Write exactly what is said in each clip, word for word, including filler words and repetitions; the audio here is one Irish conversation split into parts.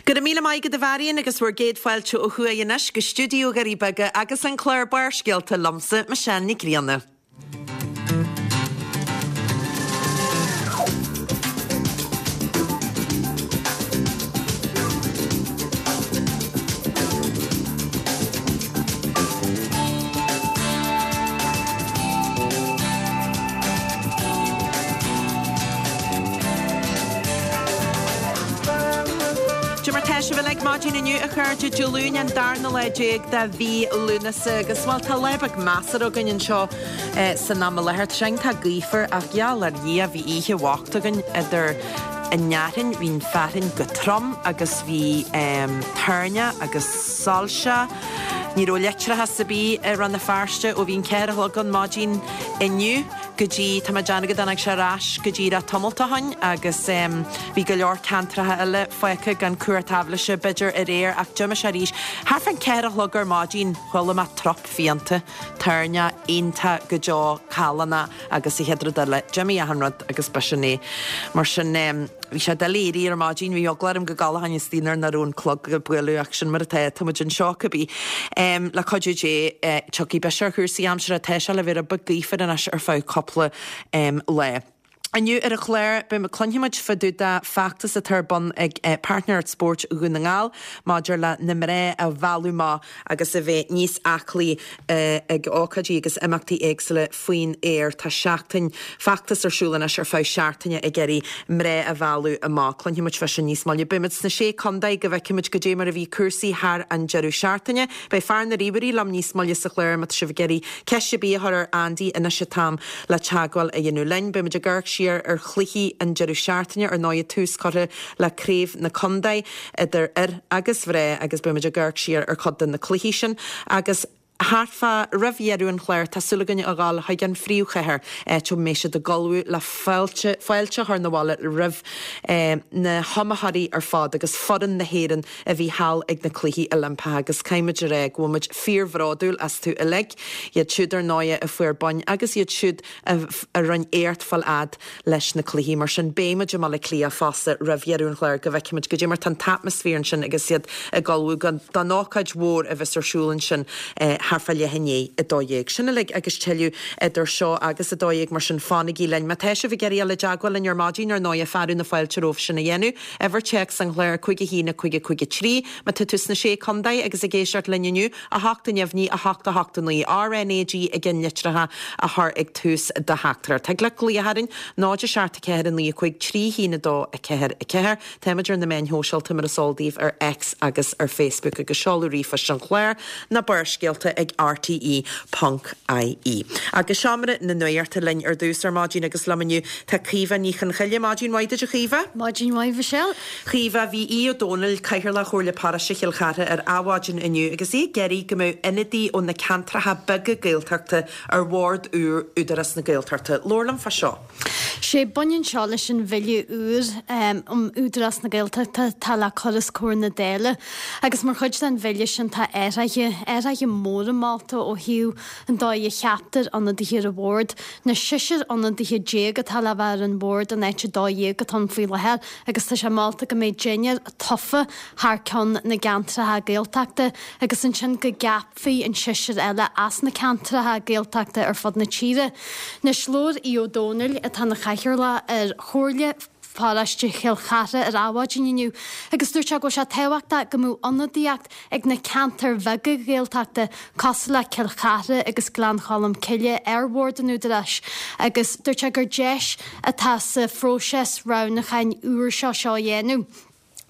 Go raibh míle maith agat a Mharion agus bhur gcéad fáilte ó thuaidh anois go stiúideo Dhoirí Beaga agus an clár Barrscéalta liomsa Michelle Nic Grianna. Cad é mar tá sibh uilig maidin inniu a chairde Dé Luain an darna lá déag de mhí Lúnasa agus bhuel tá lá beag measartha againn anseo san am i láthair. Tá sé iontach gaofar ach gheall ar Dhia bhí oíche bhocht againn idir an fhearthainn, bhí an fearthainn go trom agus bhí toirneach agus soilse. Ní raibh leictreachas ar bith i Rann na Feirste ó bhí an ceathair a chlog an maidin inniu go dtí, tá mé ag déanamh go dtáinig sé ar ais go díreach tamalt ó shin agus bhí go leor ceantracha eile fágtha gan cumhacht aibhléise b'fhéidir aréir ach d'imigh sé arís. Thart fán ceathair a chlog ar maidin chuala mé trup fiánta, toirneach iontach go deo callánach agus an chéad rud eile d'imigh achan rud agus b'shin é. Mar sin bhí sé doiligh éirí ar maidin, bhí eagla orm go gcodlóinn istigh nuair nach raibh an clog ag bualadh ach sin mar atá, tá muid anseo cibé. Le cuidiú Dé tiocfaidh biseach ar chúrsaí aimsire, tá sé le bheith rud beag gaofar anois ar feadh cúpla lá. Inniu ar an chlár, beidh cluinfidh muid fá dtaobh de feachtas atá ar bun ag Páirtnéireacht Spóirt Dhún na nGall maidir le na mná a mhealladh amach agus a bheith níos aclaí ag ócáidí agus imeachtaí éagsúla faoin aer. Tá seachtain feachtas ar siúl anois ar feadh seachtaine ag iarraidh mná a mhealladh amach. Cluinfidh muid fá sin níos moille. Beidh muid sna Sé Contae go bhfeicfidh muid goidé mar a bhí cúrsaí thar an deireadh seachtaine. Beidh fear na ríomhairí liom níos moille sa chlár má tá sibh ag iarraidh ceist ar bith a chur ar Andy anois an t-am le teagmháil a dhéanamh linn. Beidh muid ag amharc siar ar chluichí an deireadh seachtaine, ar ndóigh tús curtha le craobh na contae idir fhir agus mhná agus beidh muid ag amharc siar ar chuid de na cluichí sin agus thart fá roimh dheireadh an chláir tá súil againn a ghabháil chuig an phríomhchathair áit a mbeidh siad ag ullmhú le fáilte fáilte a chur 'na bhaile roimh na hiomaitheoirí ar fad agus foireann na hÉireann a bhí thall ag na Cluichí Oilimpeacha agus caithfidh muid a rá go bhfuil muid fíorbhródúil astu uilig, iad siúd ar ndóigh a fuair boinn agus iad siúd a rinne éacht fáil fhad leis na cluichí. Mar sin beidh muid i mBaile Átha Cliath fosta roimh dheireadh an chláir go bhfeicfidh muid goidé mar tá an t-atmaisféar ansin agus iad ag ullmhú don ócáid mhór a bheas ar siúl ansin thart fá leath i ndiaidh a dó dhéag. Sin uilig agus tuilleadh idir seo agus a dó dhéag mar sin fanaigí linn. Má tá sibh ag iarraidh dul i dteagmháil linn ar maidin ar ndóigh fearadh na fáilte romhaibh sin a dhéanamh. Uimhir téacs an chláir cúig a haon a cúig a cúig a trí. Má tá tú sna Sé Contae agus ag éisteacht linn inniu, a hocht a neamhní a hocht a hocht a naoi RNAG i gceannlitreacha a chur ag tús do theachtaireacht. Thig leat glaoch orainn, náid a seacht a ceathair a naoi a cúig trí haon a dó a ceathair a ceathair. Táimid ar na meáin shóisialta mar is eol daoibh ar X agus ar Facebook agus seoladh ríomhphoist an chláir, na Barrscéalta ag rte ponc ie. Agus seomra na nuachta linn ar dtús ar maidin agus liom inniu tá Caoimhe Ní Chonchoille. Maidin mhaith duit a Chaoimhe. Maidin mhaith Michelle. Chaoimhe, bhí Aodh Ó Domhnaill, Cathaoirleach Chomhairle Paróiste Chill Chartha ar Adhmhaidin inniu agus é ag iarraidh go mbeadh ionadaí ó na ceantracha beaga Gaeltachta ar bhord úr Údarás na Gaeltachta. Labhair liom fá seo. Sé baineann seo leis an bhille úr um Údarás na Gaeltachta atá le cur os comhair na Dála agus mar chuid den bhille sin tá athruithe, athruithe móra molta ó thaobh an dóigh a cheaptar ionadaithe ar an bhord. Na seisear ionadaithe déag atá le bheith ar an bhord in áit a dó dhéag atá ann faoi láthair agus tá sé molta go mbeidh deichniúr tofa thar ceann na gceantracha Gaeltachta agus ansin go gceapfaí an seisear eile as na ceantracha Gaeltachta ar fud na tíre. Anois labhair Aodh Ó Domhnaill, atá ina chathaoirleach ar Chomhairle Pharóiste Chill Chartha ar Adhmhaidin inniu agus dúirt sé go bhfuil sé tábhachtach go mbeadh ionadaíocht ag na ceantair bheaga Ghaeltachta cosúil le Cill Chartha agus Gleann Cholm Cille ar bhord an Údaráis agus dúirt sé gur deis atá sa phróiseas roghnúcháin úr seo seo a dhéanamh.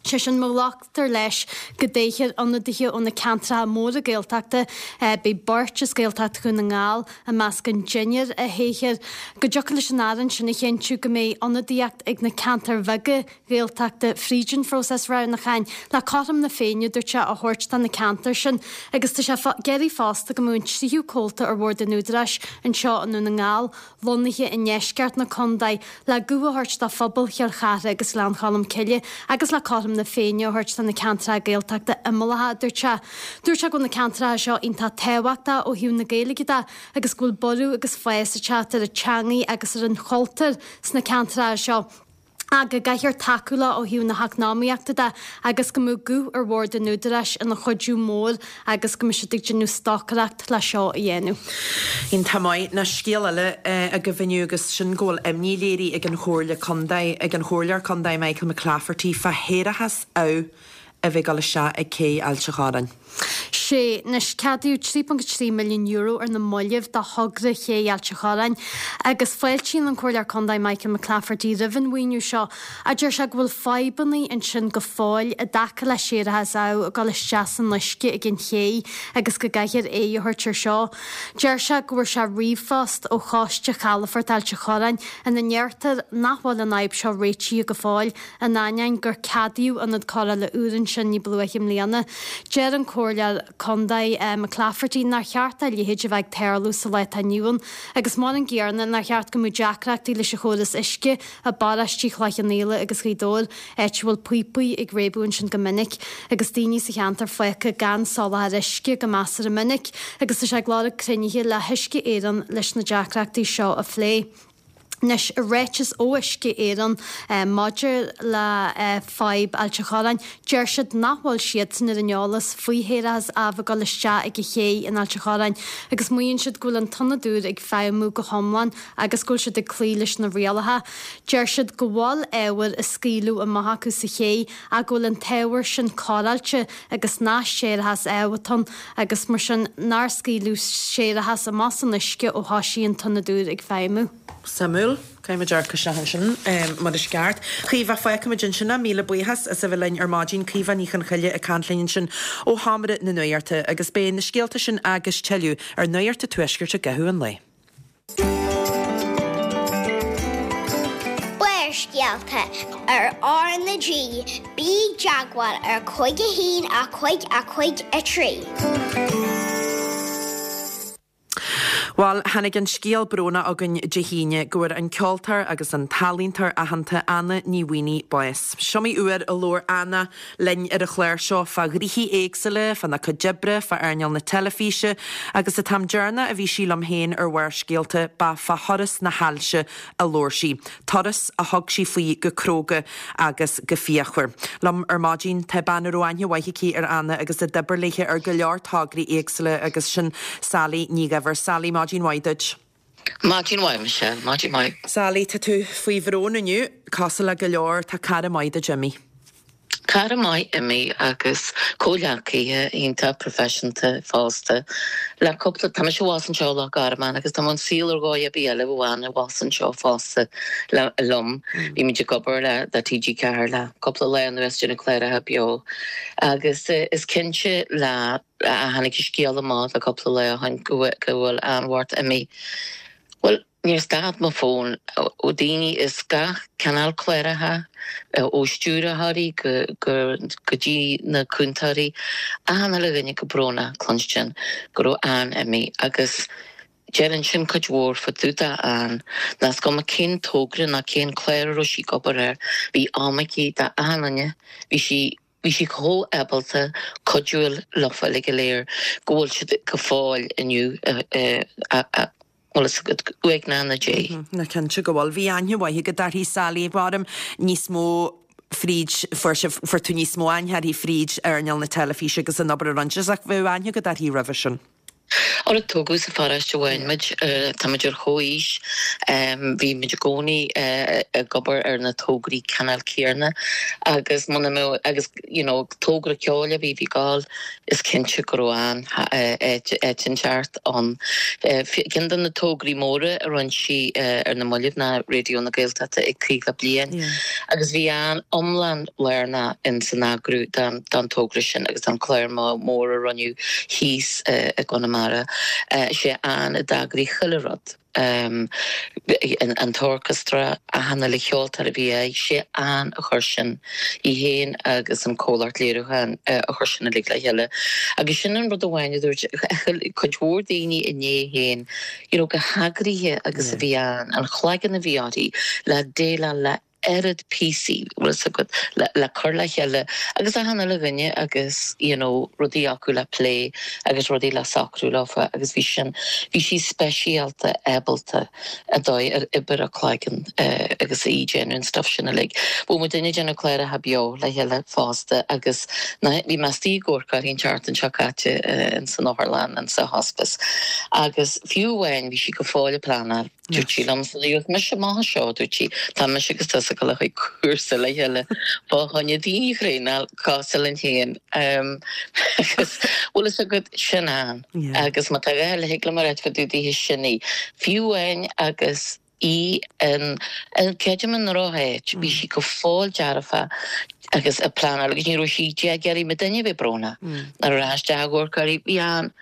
Sé sin, má ghlactar leis go dtoghfar ionadaithe ó na ceantracha móra Gaeltachta, beidh beirt as Gaeltacht Dhún na nGall i measc an deichniúr a thoghfar, go dtiocfadh leis an Aire ansin a chinntiú go mbeidh ionadaíocht ag na ceantair bheaga Ghaeltachta fríd an phróiseas roghnúcháin le cothrom na Féinne, dúirt sé, a thabhairt do na ceantair sin agus tá sé ag iarraidh fosta go mbeadh an tríú comhalta ar bhord an Údaráis anseo i nDún na nGall lonnaithe i ndeisceart na contae, le guth a thabhairt do phobal Chill Chartha agus Ghleann Cholm Cille agus le cothrom na Féinne a thabhairt do na ceantracha Gaeltachta imeallacha, a dúirt sé. Dúirt sé go bhfuil na ceantracha seo iontach tábhachtach ó thaobh na Gaeilge de agus go bhfuil borradh agus fás ag teacht ar an teangaidh agus ar an chultúr sna ceantracha seo. Ach go gcaithfear tacú leo ó thaobh na heacnamaíochta de agus go mbeadh guth ar bhord an Údaráis ina chuidiú mór agus go mbeadh siad ag déanamh stocaireacht le seo a dhéanamh. Iontach maith. Ná scéal eile agaibh inniu agus sin go bhfuil imní léirithe ag an Chomhairle Contae, ag an Chomhairleoir Contae Michael McClafferty fá shéarachas amh a bheith ag dul isteach ag cé Ailt an Chorráin. Sé, anois ceadaíodh trí ponc trí milliún euro ar na mallaibh do thogra Ché Ailt an Chorráin agus fáiltíonn an Comhairleoir Contae Michael McClafferty roimh an mhaoiniú seo a deir sé go bhfuil fadhbanna ansin go fóill i dtaca le séarachas amh ag dul isteach san uisce ag an ché agus go gcaithfear aghaidh a thabhairt ar seo. Deir sé go bhfuair sé ríomhphost ó Choiste Chalafort Ailt an Chorráin ina ndeirtear nach bhfuil an fhadhb seo réitithe go fóill in ainneoin gur ceadaíodh ionad cóireála úr ansin ní ba luaithe i mbliana. Deir an Comhairleoir Contae McClafferty nár cheart dá leithéid a bheith ag tarlú sa lá atá inniu ann agus mar an gcéanna nár cheart go mbeadh deacrachtaí leis an chóras uisce i bparóistí Chloich Cheann Fhaola agus Ghaoth Dobhair, áit a bhfuil píopaí ag réabadh ansin go minic agus daoine sa cheantar fágtha gan soláthar uisce go measartha minic agus tá sé ag lorg cruinnithe le hUisce Éireann leis na deacrachtaí seo a phlé. Anois, i ráiteas ó Uisce Éireann maidir le fadhb Ailt an Chorráin, deir siad nach bhfuil siadsan ar an eolas faoi shéarachas amh ag dul isteach ag an ché in Ailt an Chorráin agus maíonn siad go bhfuil an t-ionad úr ag feidhmiú go hiomlán agus go bhfuil siad ag cloí leis na rialacha. Deir siad go bhfuil ábhar á scaoileadh amach acu sa ché ach go bhfuil an t-ábhar sin cóireáilte agus nach séarachas amh atá ann agus mar sin nár scaoileadh séarachas amach san uisce ó thosaigh an t-ionad úr ag feidhmiú. Suimiúil. Caithfidh muid amharc isteach ansin mar is ceart. Caoimhe, fágfaimid ansin é. Míle buíochas as a bheith linn ar maidin. Caoimhe Ní Chonchoille ag caint linn ansin ó Sheomra na Nuachta agus beidh na scéalta sin agus tuilleadh ar Nuacht an Tuaiscirt i gcaitheamh an lae. Barrscéalta ar R na G, bí i dteagmháil ar cúig a haon a cúig a cúig a trí. Bhuel, tháinig an scéal brónach chugainn Dé hAoine go bhfuair an ceoltóir agus an t-ealaíontóir aitheanta Anna Ní Mhaonaigh bás. Is iomaí uair a labhair Anna linn ar an chlár seo fá ghnoithí éagsúla, fána cuid oibre, fá earnáil na teilifíse agus an t-am deireanach a bhí sí liom féin ar Bharrscéalta ba fá thuras na hailse a labhair sí, turas a thug sí faoi go cróga agus go fíochmhar. Liom ar maidin tá bean a raibh aithne mhaith aici ar Anna agus a d'oibir léithe ar go leor tograí éagsúla agus sin Sally Ní Dhuibhir. Sally, maidin mhaith duit. Maidin mhaith, Michelle, maidin mhaith. Sally, tá tú faoi bhrón inniu, cosúil le go leor, tá cara maith duit imithe. Cara maith imithe agus comhghleacaithe iontach proifisiúnta fosta. Le cúpla, tá mise abhus anseo i Loch Garman agus tá mé ón saol ar dhóigh ar bith eile bheadh Anna abhus anseo fosta le, liom. Bhí muid ag obair le, le TG Ceathair le cúpla lá anuas déanamh cláracha beo agus is cinnte le tháinig an scéal amach le cúpla lá ó shin go bhfuil Ann Mhart imithe. Bhuel, níor stad mo fón ó daoine is gach cineál cláracha, ó stiúrthóirí go go dtí na cúntóirí, achan uile dhuine go brónach cluinstin go raibh Ann imithe agus deireann sin cuid mhór fá dtaobh d'Ann, nach is cuma cén togra ná cén clár a raibh sí ag obair air, bhí am aici d'achan duine, bhí sí Bhí sí chomh ábalta cuidiú leofa uilig go léir go bhfuil siad go fóill inniu bhfuil fhios agat, uaigneach ina diaidh. Ná cinnte go bhfuil. Bhí aithne mhaith agat uirthi, Sally, mairim níos mó fríd, fuair sibh, fuair tú níos mó aithne uirthi fríd earnáil na teilifíse agus an obair a rinne sibh ach bheadh aithne agat uirthi roimhe sin. Ara tógadh sa pharóiste amháin muid, tá muid ar chomhaois, bhí muid i gcónaí ag obair ar na tograí cineál céanna agus muna mbeadh, agus you know togra ceoil a bhí bhí gabháil, is cinnte go raibh Ann áit inteacht ann. Ceann de na tograí móra a rinne sí ar na mallaibh ná Raidió na Gaeltachta ag caoga bliain agus bhí Ann iomlán lárnach in san eagrú don togra sin agus don chlár mór a rinneadh thíos i gConamara. Sé Ann a d'eagraigh chuile rud, an t-orchestra, achan uile cheoltóir a bhí air, sé Ann a chuir sin, í féin agus an comhlacht léiriúcháin a chuir sin uilig le chéile. Agus sin an rud amháin a dúirt cuid mhór daoine inné féin, you know, chomh heagraithe agus a bhí Ann, an chloigeann a bhí uirthi le déileáil le oiread píosaí bhfuil a fhios agat le, le cur le chéile agus achan uile dhuine agus you know, rudaí acu le plé agus rudaí le socrú leofa agus bhí sin bhí sí speisialta ábalta a dóigh ar oibrigh a cloigeann uh, agus í déanamh an stuff sin uilig. Bhí muid ag déanamh cláracha beo le chéile fosta agus na bhí mé istigh ag amharc uirthi an tseachtain seo caite uh, in san otharlann an sa hospice. Agus fiú amháin bhí sí go fóill ag pleanáil. Dúirt sí liom sa mise má seo dúirt sí tá mise agus tusa ag dul chuig cúrsa le chéile fá choinne daoine a thraenáil cosúil linn féin agus bhfuil a fhios agat sin an agus má tá le higle mar fá dtaobh di sin í. Fiú amháin agus í an creidim an drochshaoil bhí sí go fóill dearfa agus ag pleanáil agus ní raibh sí ag iarraidh muidinne a bheith brónach ar ais de ghorcaí bhí an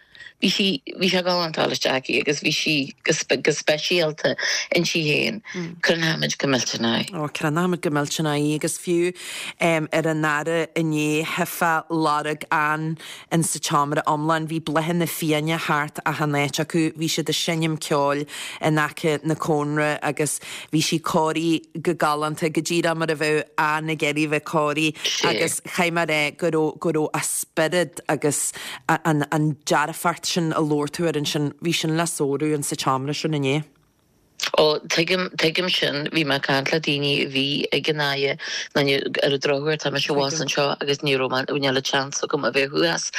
bhí sí bhí sé galánta isteach agus bhí sí go speisialta inti féin Cronaimid go millteanach. Ó cronaimid go millteanach í agus fiú um, ar an aire inné hefa lorg an in sa tseomra iomlán bhí bláthanna fiáine thart achan áit acu bhí siad ag seinm ceoil in aice na cónra agus bhí sí cóirithe go galánta go díreach mar a bheadh an ag iarraidh bheith cóirithe agus chaith mar é go raibh go raibh a spiorad agus an, an dearfacht sin a labhair tú air ansin bhí sin le sárú in sa tseomra sin inné. Ó tuigim tuigim sin bhí mé ag caint le daoine a bhí ag an aie ar an drochuair tá mise abhus anseo agus ní raibh níl a chance agam a bheith thuas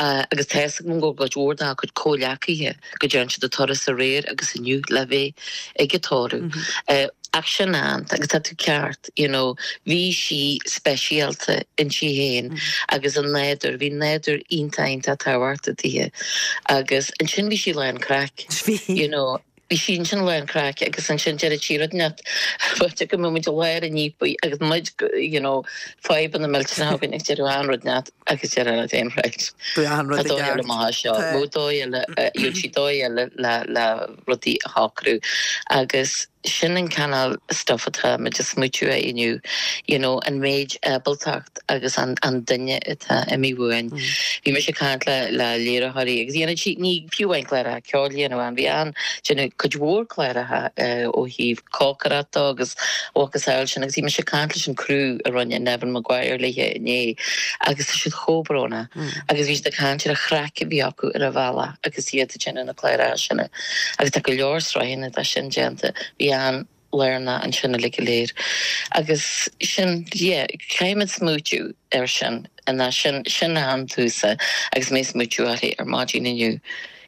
agus tá a fhios agam go gcuid mhór dá cuid comhghleacaithe go dtearn siad an turas aréir agus inniu le bheith ag an tórramh. Ach sin an agus tá tú ceart you know, bhí sí speisialta inti féin mm. agus an nádúr bhí nádúr iontach iontach tábhachtach di agus ansin bhí sí lán craic you know bhí sí sin lán craic agus ansin deir sí rud net go muid léir an nípa agus muid you know fadhbanna millteanacha ag deir an rud net agus deir an aon right seo dóigh sí dóigh le le rudaí a shocrú agus sin an cineál stuff atá muid ag smaoitiú air inniu you know an méid ábaltacht agus an an duine atá imithe uainn. Mm. Bhí mise ag caint le le léiritheoirí agus dhéanann sí ní fiú amháin cláracha ceoil dhéanamh bhí an déanamh cuid mhór cláracha uh, ó thaobh cócaireachta agus agus eile sin agus bhí mise ag caint leis an crew a rinne Neven Maguire léithe inné agus tá siad chomh brónach mm. agus bhí ag caint ar an chraic a bhí acu ar an bhealach agus iad ag déanamh na cláracha sin agus tá go leor sraitheanna de sin déanta bhí an léirna ansin le go léir. Agus sin caithfimid smaoitiú ar sin an sin sin an túsa agus mé ag smaoitiú uirthi ar maidin inniu.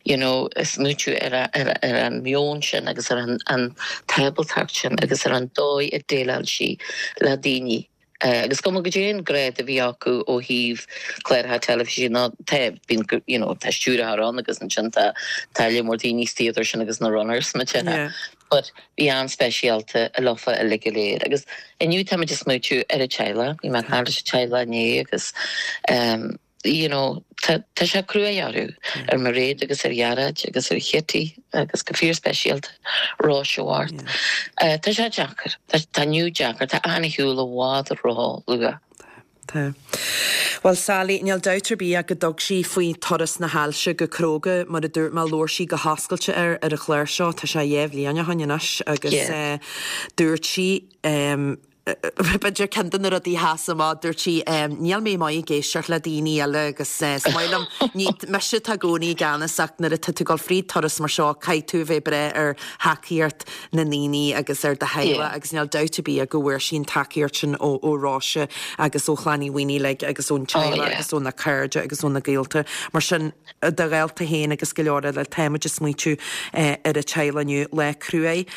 You know, smaoitiú ar, ar, ar an meon sin agus ar an, an tábaltacht sin agus ar an dóigh a déileáil sí le daoine. Uh, agus go go dtí an gréad a bhí acu ó thaobh cláracha teilifíse ná te bín you know, tá stiúrthóir ann agus ansin tá tá mór daoine stíidir sin agus na runners me yeah. But bhí an-speisialta a lofa a le go léir. agus inniu tá muid ag smaoitiú ar a teaghlach, bhí mé ag caint leis an teaghlach inné agus um, you know, tá sé cruaidh orthu ar Mairéad agus ar Ghearóid agus ar Chití agus go fíorspeisialta Róise Mhart. Uh, tá sé deacair Tá inniu deacair tá an shiúl i bhfad róluath. Tá. Well Sally níl dabht ar bith go dtug sí faoi turas na hailse go cróga mar a dúirt mé labhair sí go hoscailte ar ar an chlár seo tá sé dhá bhliain ó shin anois agus yeah. uh, dúirt sí um, B'fhéidir ceann de na rudaí a sheas amach dúirt sí níl mé maith ag éisteacht le daoine eile agus is maith liom ní mise atá i gcónaí i gceannas ach nuair atá tú ag dul fríd turas mar seo caithfidh tú bheith breá ar thacaíocht na ndaoine agus ar do theaghlach agus níl dabht ar bith go bhfuair sí an tacaíocht sin ó ó Róise agus ó Chlann Uí Mhaonaigh agus ón teaghlach agus ó na cairde agus ó na gaolta mar sin do ghaolta féin agus go leor eile táimid ag smaoitiú ar an teaghlach inniu lá cruaidh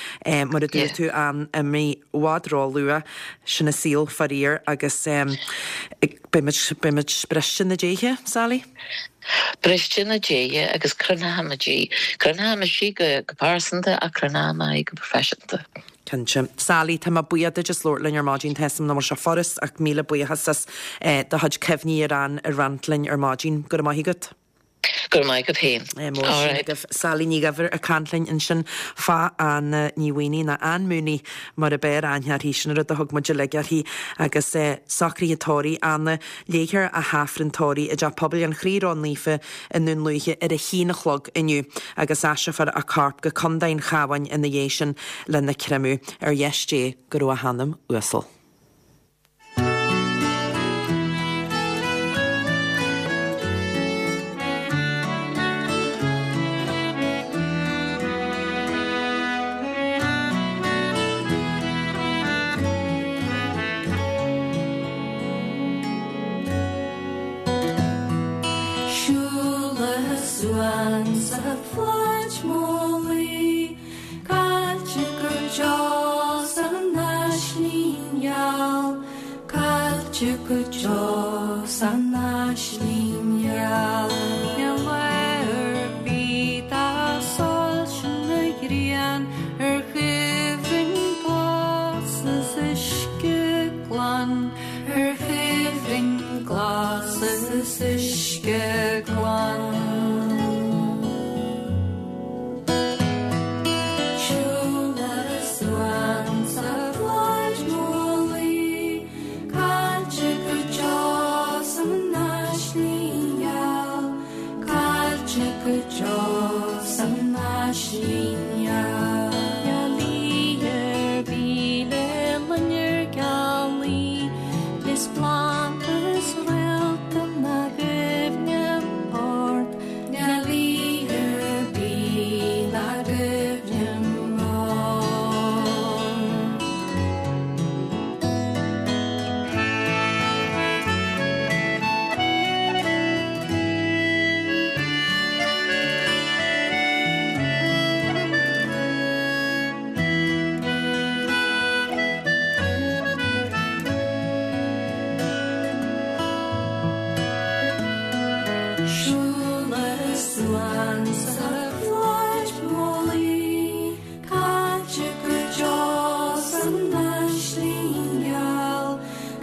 mar a dúirt tú an imithe i bhfad róluath sin an saol faraor agus um, beimid briste na déithe, Sally? Briste na déithe agus cronaimid í. Cronaimid í go go pearsanta a cronaimid go proifisiúnta. Cinnte. Sally tá mé buíoch duit as labhairt linn ar maidin tá a fhios agam nach bhfuil sé furast ach míle buíochas as eh, do chuid cuimhní ar an a roinnt linn ar maidin go raibh maith agat. Go raibh maith agat féin. Mór sin agaibh. Sally Ní Dhuibhir ag caint linn ansin fá Anna Ní Mhaonaigh, nó Ann Mooney mar a b'fhearr aithne uirthi, sin an rud a thug muid uilig uirthi agus socruithe tórraimh Anna. Léifear a hAifreann tórraimh i dTeach Pobail an Chroí Ró-Naofa i nDún Lúiche ar a haon a chlog inniu agus aistreofar a corp go Contae an Chabháin ina dhiaidh sin lena chreimeadh. Ar dheis Dé go raibh a hanam uasal. Siúl le suan sa pháirc mullaigh, Caillte go deo san aisling gheal, Caillte go deo san aisling gheal. Níl lá ar bith dá soilse na ghrian ar chuimhin glas is uisce glan, ar chuimhin glas is uisce glan. Siúl le suan sa pháirc mullaigh, Caillte go deo san aisling gheal, Caillte go deo san aisling gheal. Gealaí ar bith le loinnir gealaí, Is planda is réalta na gcuimhne ort, Gealaí ar bith na gcuimhne ort. Siúl le suan sa pháirc mullaigh, Caillte go deo san aisling gheal,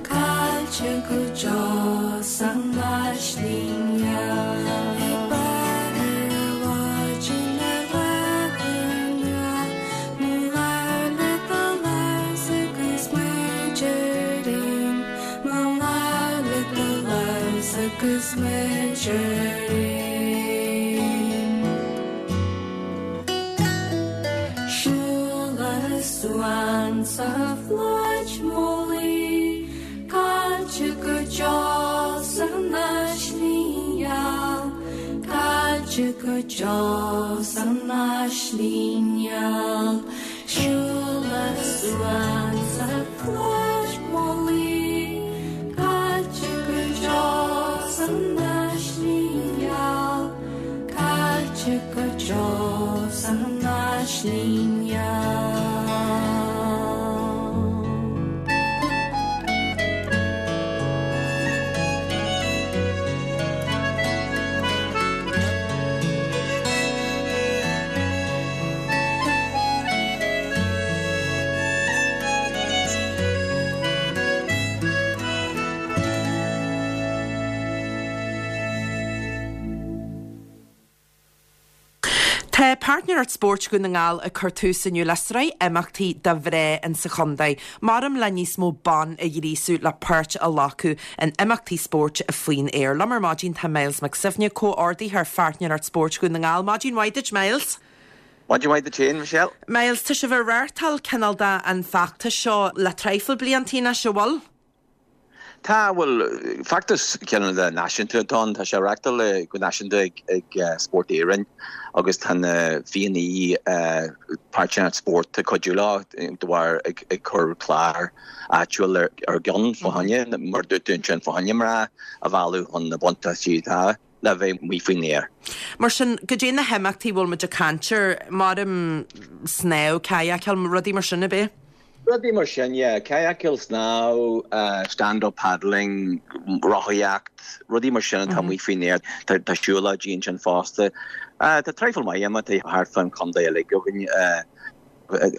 Caillte go deo san aisling gheal. Ag brath ar mhaidin ar leath Mo leabhar le do lámh agus muid ar aon, Mo leabhar le do lámh agus muid ar aon. Siúl le suan sa pháirc mullaigh, Caillte go deo san aisling gheal, Caillte go deo san aisling gheal. Siúl le suan sa pháirc mullaigh, Caillte go deo san aisling gheal, Caillte go deo san aisling gheal. Tá Páirtnéireacht Spóirt Dhún na nGall ag cur tús inniu le sraith imeachtaí do mhná in sa chontae, maram le níos mó ban a ghríosú le páirt a ghlacadh in imeachtaí spóirt faoin aer. Liom ar maidin tá Myles Mac Suibhne comhordaitheoir Pháirtnéireacht Spóirt Dhún na nGall. Maidin mhaith duit Myles. Maidin mhaith duit féin, Michelle? Myles, tá sibh ag reáchtáil cineál de an feachtas seo le traidhfil bliantaí anois an bhfuil? Tá bhuel feachtas cineál de náisiúnta atá ann, tá sé reáchtáil go náisiúnta ag, ag uh, Spórt Éireann agus tá na fianaí uh, Páirtnéireacht Spóirt ag cuidiú leo de bharr ag, ag cur clár áitiúil ar, ar gceann fá choinne mar dúinn sin fá choinne mná a mhealladh chun na buntáistí atá le bheith amuigh faoin aer. Mar sin goidé na himeachtaí bhfuil muid ag caint air maram snámh, kayakáil, rudaí mar sin ab ea? Rudaí mar sin, yeah, kayakáil snámh, uh, stand-up paddling, rothaíocht, rudaí mar sin atá amuigh faoin aer, tá, tá siúlóidí ansin fosta. Uh, tá traidhfil maith imeachtaí thart fán chontae uilig againn uh,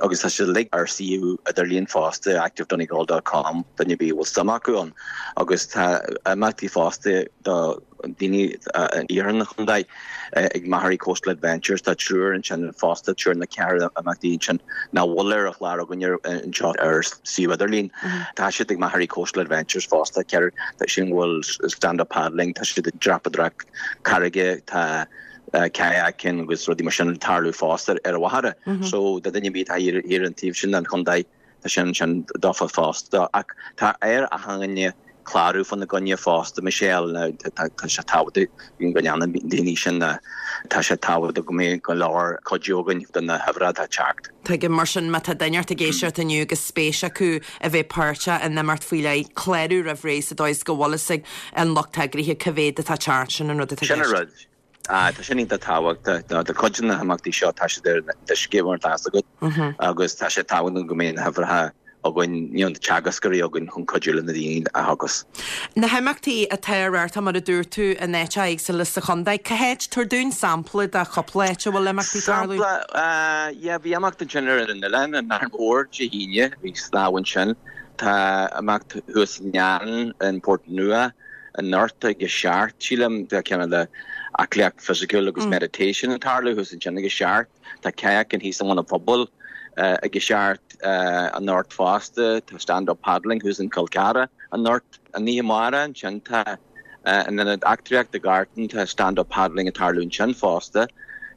agus tá sé uilig ar suíomh idirlíon fosta active donegal dot com duine ar bith a bhfuil suim acu ann agus tá imeachtaí fosta do daoine in iarthar an chontae ag Maghery Coastal Adventures tá triúr ansin fosta triúr na ceithre imeachtaí ansin nach bhfuil ar an chlár againn anseo ar suíomh idirlín. Tá siad ag Maghery Coastal Adventures fosta ceithre tá sin bhfuil stand-up paddling, tá siad ag dreapadóireacht carraige, tá kayaking agus rudaí mar sin ag tarlú fosta ar an Mhachaire. So do duine ar bith atá thiar an taobh sin den chontae tá sin sin daofa fosta ach tá ar achan duine clárú fána gcoinne fosta Michelle now tá sé tábhachtach go ndéanann daoine sin tá sé tábhachtach go mbeidh go leor cuidiú againn do na huimhreacha atá ag teacht. Tuigim mar sin má tá duine ort ag éisteacht inniu agus spéis acu a bheith páirteach in imeacht faoi leith clárú roimh ré sa dóigh is go bhfuil fhios ag an lucht eagraithe cá mhéad atá ag teacht sin an rud atá i Sin an gceist. rud. Ah, tá sin iontach tábhachtach do chuid de na himeachtaí seo tá siad ar an uisce mar atá agat agus tá sé tábhachtach go mbeidh na huimhreacha againn you know, na teagascóirí againn chun cuidiú le na daoine a theagasc. Na himeachtaí atá ar tá mar a dúirt tú in áiteacha éagsúla sa chontae, Cá háit tabhair dúinn sampla de chúpla áit a bhfuil imeachtaí tarlú? Sampla, uh, yeah, bhí imeacht ansin ar an oileán an Árainn Mhór Dé hAoine, bhí snámh ansin. Tá imeacht thuas in Neain in Port Nua anocht ag a seacht sílim tá ceann de aclaíocht fisiciúil agus meditation ag tarlú thuas ansin ag a seacht, Tá kayaking thíos i mBun an Phobail uh, ag a seacht uh, anocht fosta, tá stand-up paddling thuas in Col Ceara anocht an oíche amárach ansin tá uh, in an eachtraíocht i Gartan tá stand-up paddling ag tarlú ansin fosta.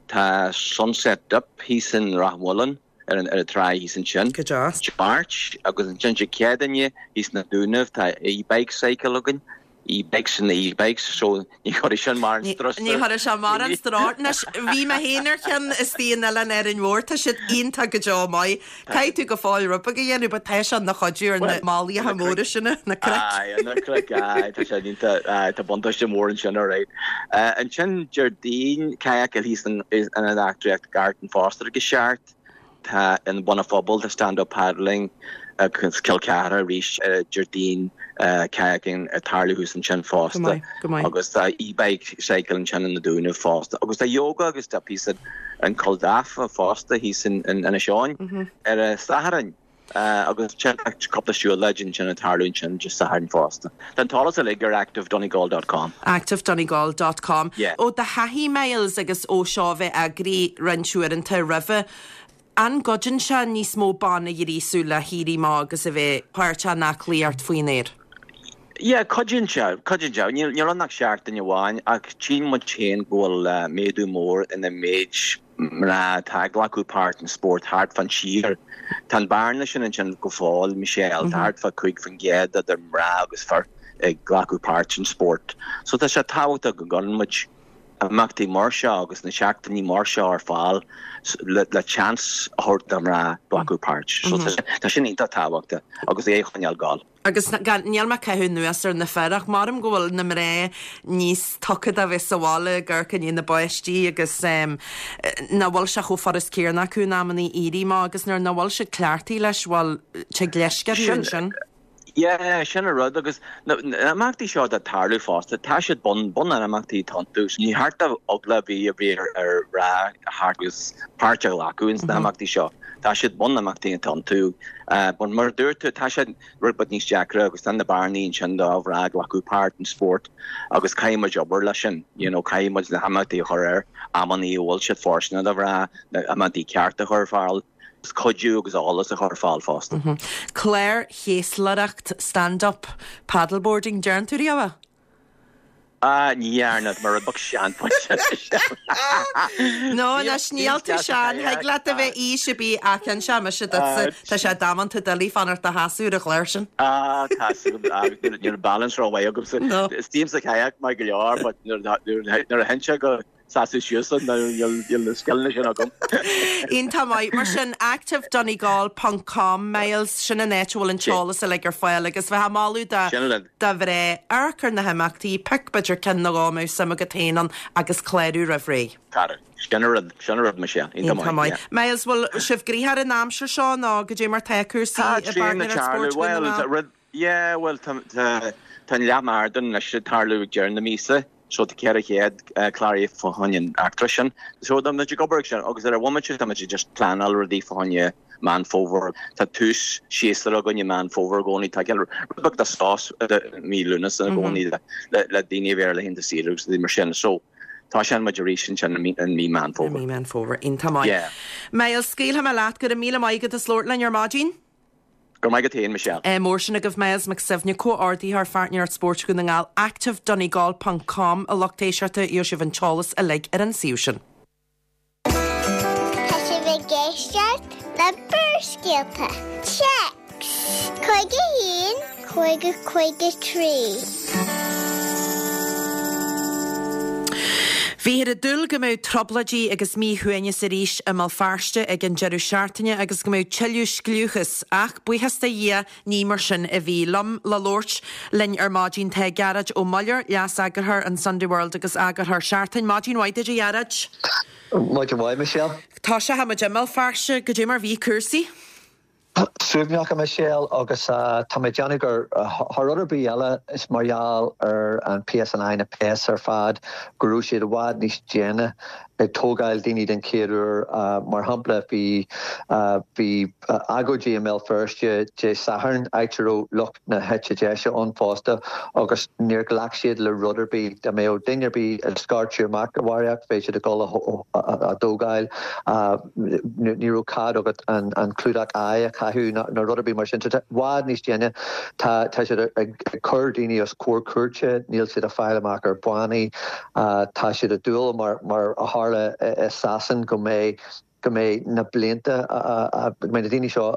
Tá sunset dip thíos in Ráth Mhuilinn ar an ar an trá thíos ansin. Go deas. Máirt agus ansin Dé Céadaoine thíos na Dúnaibh tá e-bike cycle againn. E-bikes and the e-bikes so ní chuirfidh sin mar an strus. Ní chuirfidh sé mar an strus Anois bhí mé féin ar cheann istigh in Oileán Árainn Mhór tá siad iontach go deo maith. Caithfidh tú go fóill rud beag a dhéanamh, but tá sé ina chuidiú ar na málaithe móra sinna na cnoic. Aye, na cnoic, aye, tá sé iontach, aye, tá buntáiste mór ansin alright. Uh, ansin Déardaoin kayak thíos in in an eachtraíocht Gartan fosta ag a seacht. Tá in Bun an Phobail tá stand-up paddling agus Cill Chartha arís uh, Déardaoin uh, kayaking ag tarlú thuas ansin fosta. Go maith, go maith. Agus tá e-bike cycle ansin in na Dúnaibh fosta. Agus tá yoga agus tá píosa an Cul Dafa fosta thíos in in Inis Eoghain ar a Satharn. Uh, agus sin cúpla siúlóid ansin ag tarlú ansin just Satharn fosta. Tá an t-eolas uilig ar activedonegal.com. activedonegal.com. Yeah. Ó do thaithí Miles agus ó seo bheith eagraí roinnt uaireanta roimhe, an gcuidíonn sé níos mó ban a ghríosú le héirí amach agus a bheith páirteach in aclaíocht faoin aer. Yeah, cuidíonn sé, cuidíonn sé. Níl níl ann ach seachtain amháin ach tchíonn muid féin go bhfuil uh, méadú mór ina méid mná atá ag glacadh páirt in spórt thart fán tír. Tá an bearna sin ansin go fóill Michelle, tá thart fá cúig faoin gcéad idir mná agus fir ag glacadh páirt in spórt. So tá sé tábhachtach go gcuireann muid imeachtaí mar seo agus na seachtainí mar seo ar fáil le, le chance a thabhairt do mná glacadh páirt. So tá tá sin iontach tábhachtach agus é choinneáil gal. Agus gan- níl mé ag caitheamh anuas ar na fir ach maram go bhfuil na mná níos tugtha a bheith sa bhaile gur cin na báistí agus um, na bhfuil sé chomh furast céanna acu in amannaí éirí amach agus nuair nach bhfuil siad cleachtaithe leis bhfuil te leisce Sin- sin. Yeah, sin an rud agus na na imeachtaí seo atá ag tarlú fosta, tá siad bun bun an imeachtaí iontu. Ní thart a eagla bhí a bhí ar ar rá thart agus páirt a ghlacadh ins na imeachtaí seo. Tá siad bun na imeachtaí iontu. Uh, but mar dúirt tú tá siad rud beag níos deacra agus tá na bearnaí ansin do mhná glacadh páirt in spórt agus caithfidh muid obair leis sin, you know, caithfidh muid na himeachtaí a chur ar amannaí a bhfuil siad fóirsteanach do mhná, na imeachtaí ceart a chur ar fáil, agus cuidiú agus eolas a chur ar fáil fosta. Cláir chéaslaireacht stand-up paddleboarding deireann tú riamh? Ah, ní dhearna mar rud beag sean. No, anois níl tú sean, thig leat a bheith aois ar bith ach an se me tá sé damanta doiligh fanacht i do sheasamh ar an chlár sin. Ah, tá níl balance ró-mhaith agamsa. No. Isím sa kayak mar go leor, but nuair a théann sé go seasamh síos níl na scileanna sin agam. Iontach maith mar sin activedonegal.com Miles sin an áit a bhfuil an t-eolas uilig ar fáil agus bheith moladh do Sin an do mhná amharc ar na himeachtaí pioc b'fhéidir ceann nó dhó a mbeadh suim agat féin ann agus clárú roimh ré. Cara. Sin an rud, sin an rud Michelle. Iontach maith. Miles bhfuil sibh gnoitheach an aimsir seo nó go dté mar tá cúrsaí Tá i tréan bPartner ag tarlú. Sport Well, Dhún na nGall? rud yeah, well tá tá tá an leath marathon leis ag tarlú ag deireadh na míosa. So tá ceithre chéad cláraithe fá choinne an eachtra sin. So tá muid ag obair sin agus ar an bhomaite tá muid just pleanáil rudaí fá choinne Meán Fómhair. Tá tús séasúr againn i Meán Fómhair i gcónaí. Tá rud beag de sos mí Lúnasa i gcónaí le le daoine a bheith ar laethanta saoire agus rudaí mar sin. So tá sin muid arís ansin i mí i mí Meán I Fómhair. mí Meán Fómhair. Iontach maith. Yeah. Myles, scaoilfidh mé leat, go raibh míle maith agat as labhairt linn ar maidin. Go maith go féin, Michelle. Eh, mór sin agaibh Myles Mac Suibhne, comhordaitheoir Pháirtnéireacht Spóirt Dhún na nGall, active donegal ponc com a lucht éisteachta gheobhaidh sibh an t-eolas uilig ar an suíomh sin. Tá sibh ag éisteacht le Barrscéalta. Téacs cúig a haon cúig a cúig a trí. Bhíothar ag dúil go mbeadh trioblóidí agus míshuaimhneas arís i mBéal Feirste ag an deireadh seachtaine agus go mbeadh tuilleadh scliúchas, ach buíochas do Dhia ní mar sin a bhí. Liom le labhairt linn ar maidin tá Gearóid Ó Muilleoir, Leas-Eagarthóir an Sunday World agus Eagarthóir Seachtain. Maidin mhaith duit a Ghearóid. Maidin mhaith, Michelle. Tosóidh muid i mBéal Feirste, goidé mar bhí cúrsaí? Suaimhneach, a Michelle, agus tá mé ag déanamh gur thar rud ar bith eile is mar gheall ar an P S N I na péas ar fad go raibh siad i bhfad níos déine ag tógáil daoine den chéad uair. Mar shampla bhí bhí agóidí i mBéal Feirste Dé Sathairn áit a raibh lucht na heite deise ann fosta agus níor ghlac siad le rud ar bith. Dá mbeadh duine ar bith ag scairteadh amach a bharraíocht bheadh siad ag dul á dtógáil. Ní raibh cead agat an an clúdach aghaidhe a chaitheamh ná rud ar bith mar sin. So tá i bhfad níos déine. Tá tá siad ag cur daoine os comhair cúirte, níl siad ag fáil amach ar bannaí. Tá siad ag dúil mar mar a tharla i Sasain go mbeidh go mbeidh na blianta go mbeidh na daoine seo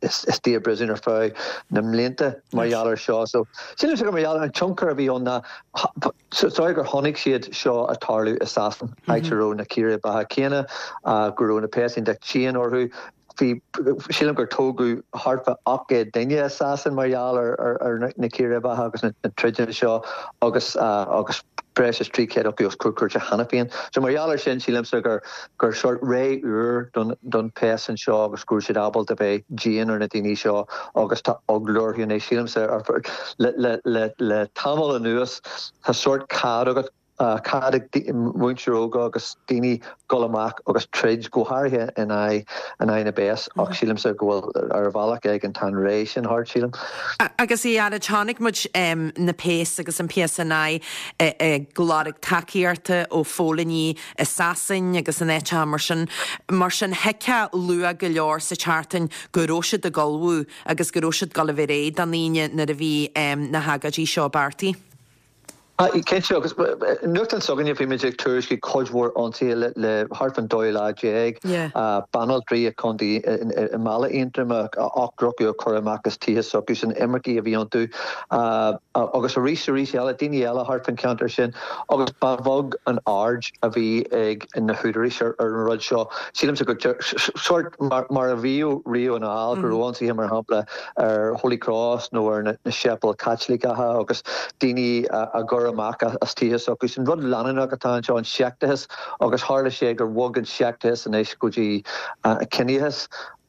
istigh i bpríosún ar feadh na mblianta mar gheall ar seo. So sílimse gur mar gheall ar an tionchar a bhí ann ná sorry gur chonaic siad seo ag tarlú i Sasain, áit a raibh na círéibeacha céanna, go raibh na péas iontach dian orthu. Bhí, sílim gur tógadh thart fá ocht gcéad duine i Sasain mar gheall ar ar na círéibeacha agus na troideanna seo agus agus breis is trí chéad acu os comhair cúirte cheana féin. So mar gheall ar sin sílimse gur gur sórt ré úr don don péas anseo agus go raibh siad ábalta bheith dian ar na daoine seo agus tá eagla orthu anois. Sílimse le le le le tamall anuas tá sórt cead agat cead ag muintir óga agus daoine dul amach agus troid, go háirithe in aghaidh in aghaidh na bpéas, ach sílimse go bhfuil ar bhealach éigin tá an ré sin thart, sílim. Agus a Ghearóid, chonaic muid na péas agus an P S N I ag lorg tacaíochta ó phóilíní i Sasain agus in áiteacha mar sin. Mar sin thuigfeá luath go leor sa tseachtain go raibh siad ag ullmhú agus go raibh siad ag dul a bheith réidh don Aoine nuair a bhí na hagóidí seo beartaithe. Cinnte, agus nuachtán s'againne bhí muid ag tuairisciú cuid mhór ionsaithe le le thart fán dóú lá déag, banaltraí i contae i mBaile Aontroim, ochtar acu a cuireadh amach as tithe s'acusan, imircigh a bhí iontu, agus arís arís eile, daoine eile thart fán cheantar sin, agus ba bheag an aird a bhí ag na húdaráis ar an rud seo. Sílimse gur sórt mar mar a bhíodh riamh anall, go raibh ionsaithe mar shampla ar Holy Cross nó ar na séipéil Chaitliceacha agus daoine á gcur amach as tithe s'acu. An rud leanúnach atá anseo an seicteachas agus tharla sé gur bhog an seicteachas anois go dtí ciníochas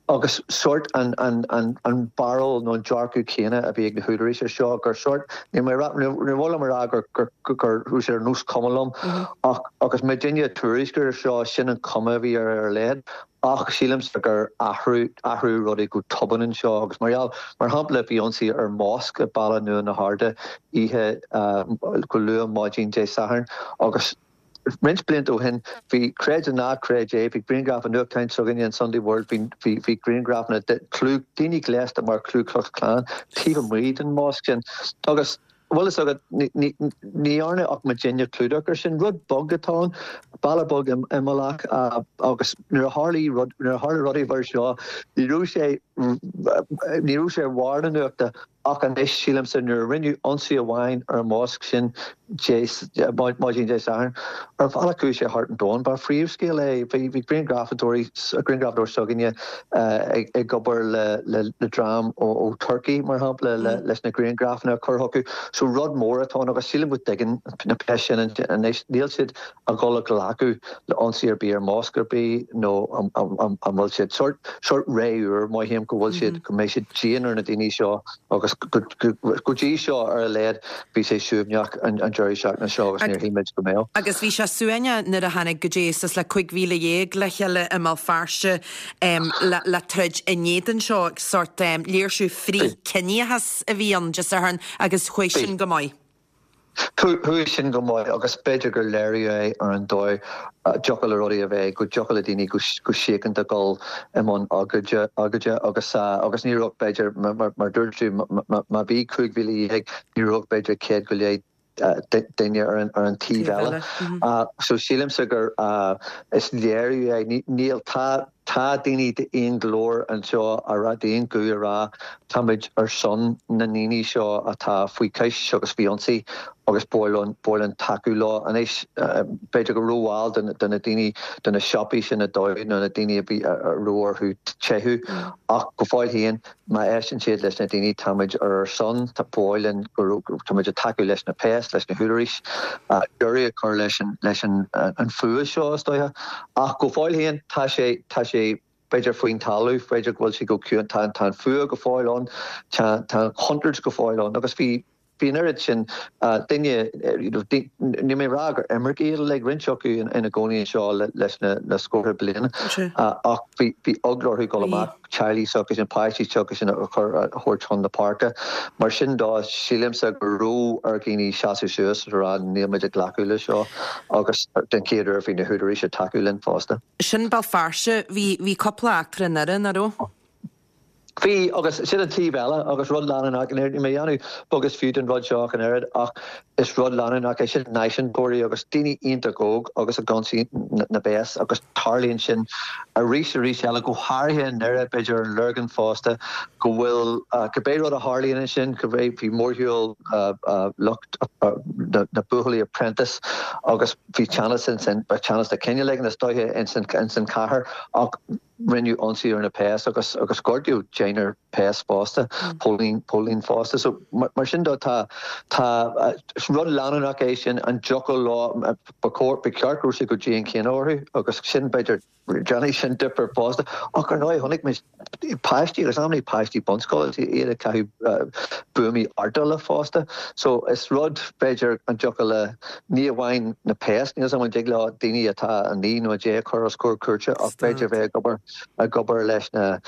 agus sórt an an an an barúil nó an dearcadh céanna a bhí ag na húdaráis ar seo gur sórt ní mé ní mhaith liom a rá gur gur gur raibh sé ar nós cuma liom ach agus muidinne ag tuairisciú ar seo sin an cuma a bhí ar ar a laghad. Ach sílimse gur athrú athrú rudaí go tobann anseo agus mar gheall mar shampla bhí ionsaí ar mosc i Baile Nua na hArda oíche go luath maidin Dé Sathairn agus roinnt blianta ó shin bhí creid nó ná creid é bhí grianghraf i nuachtán s'againne an Sunday World bhí bhí bhí grianghrafanna de clú daoine gléasta mar Ku Klux Klan taobh amuigh den mosc sin agus bhfuil fhios agat ní dhearna ach muidinne clúdach air sin. Rud beag atá ann, baile beag imeallach agus nuair a tharla rud nuair a tharla rudaí mar seo ní raibh sé ní raibh sé ar bharr na nuachta ach anois sílimse nuair a rinneadh ionsaí amháin ar an mosc sin Dé maidin Dé Sathairn ar bhealach chuaigh sé thart an domhan. Ba phríomhscéal é. Bhí bhí grianghrafadóirí grianghrafadóir s'againne ag ag obair le le le dream ó ó Turkey mar shampla le leis na grianghrafanna a chur chucu. So rud mór atá ann agus sílim go dtuigeann na péas sin anois níl siad ag dul a ghlacadh le ionsaí ar bith ar mosc ar bith nó an bhfuil siad sórt sórt ré úr mothaím go bhfuil siad go mbeidh siad dian ar na daoine seo agus go dtí seo ar a laghad bhí sé suaimhneach an deireadh seachtaine seo agus níor shíl muid go mbeadh. Agus bhí sé suaimhneach nuair a tháinig go dtí suas le cúig mhíle dhéag le chéile i mBéal Feirste le troid in éadan seo, sórt léirsiú frith-chiníochas a bhí ann Dé Sathairn agus chuaigh sin go maith. Chuaigh sin go maith agus b'fhéidir gur léiriú é ar an dóigh a dtiocfadh le rudaí a bheith, go dtiocfadh le daoine go síochánta dul i mbun agóide agus agus ní raibh b'fhéidir, mar dúirt tú, má bhí cúig mhíle dhéag, ní raibh b'fhéidir céad go leith duine ar an taobh eile. So sílimse gur is léiriú é, níl, tá Tá daoine d'aon ghlór anseo a rá, d'aon ghuth a rá, táimid ar son na ndaoine seo atá faoi chois agus faoi ionsaí agus ba mhaith linn tacú leo. Anois, b'fhéidir gur rómhall do na daoine, do na siopaí sin a dódh nó na daoine a bhí a raibh orthu teitheadh ach go fóill féin, má éisteann siad leis na daoine, táimid ar ar son, tá ba mhaith linn go táimid ag tacú leis na péas, leis na húdaráis, deireadh a chur leis an leis an an fuath seo, is dóiche. Ach go fóill féin, tá sé tá sé b'fhéidir faoin talamh, b'fhéidir go bhfuil sé go ciúin, tá tá an fuath go fóill ann, tá tá an chontúirt go fóill ann agus bhí bhí an oiread sin duine, níl mé ag rá gur imircigh iad uilig, roinnt acu ina gcónaí anseo leis na scórtha bliana, ach bhí bhí eagla orthu dul amach, teaghlaigh s'acusan, páistí s'acusan a chur a thabhairt chun na páirce. Mar sin de, sílimse go raibh ar dhaoine seasamh suas agus a rá níl muid ag glacadh le seo agus den chéad uair bhí na húdaráis ag tacú linn fosta. Sin Béal Feirste, bhí bhí cúpla eachtra i nDoire, nach raibh? Bhí, agus sin an taobh eile, agus rud leanúnach, níl mé ag déanamh beag is fiú den rud seo ach an oiread, ach is rud leanúnach é sin, náisiúntóirí agus daoine iontach óg agus ag ionsaí na bpéas agus tarlaíonn sin arís arís eile, go háirithe i nDoire, b'fhéidir an Lorgain fosta, go bhfuil, cibé rud a tharlaíonn ansin, cibé, bhí mórshiúl lucht na buachaillí Apprentice agus bhí teannas ansin, teannas de chineál éigin is dóiche ins an chathair ach, Rinneadh ionsaí ar na péas agus agus gortaíodh deichniúr péas fosta, póilín póilín fosta. So mar sin de tá tá is rud leanúnach é sin an dtiocfadh leo ba chóir ba cheart go raibh sé chomh dian céanna orthu agus sin b'fhéidir déanfaidh sin difear fosta. Ach ar ndóigh chonaic muid páistí agus amannaí páistí bunscoile iad ag caitheamh buamaí ardála fosta. So is rud b'fhéidir an dtiocfadh le ní amháin na péas, níl 's agam an dtig leo daoine atá a naoi nó a deich a chur os comhair cúirte ach b'fhéidir bheith ag obair ag obair leis na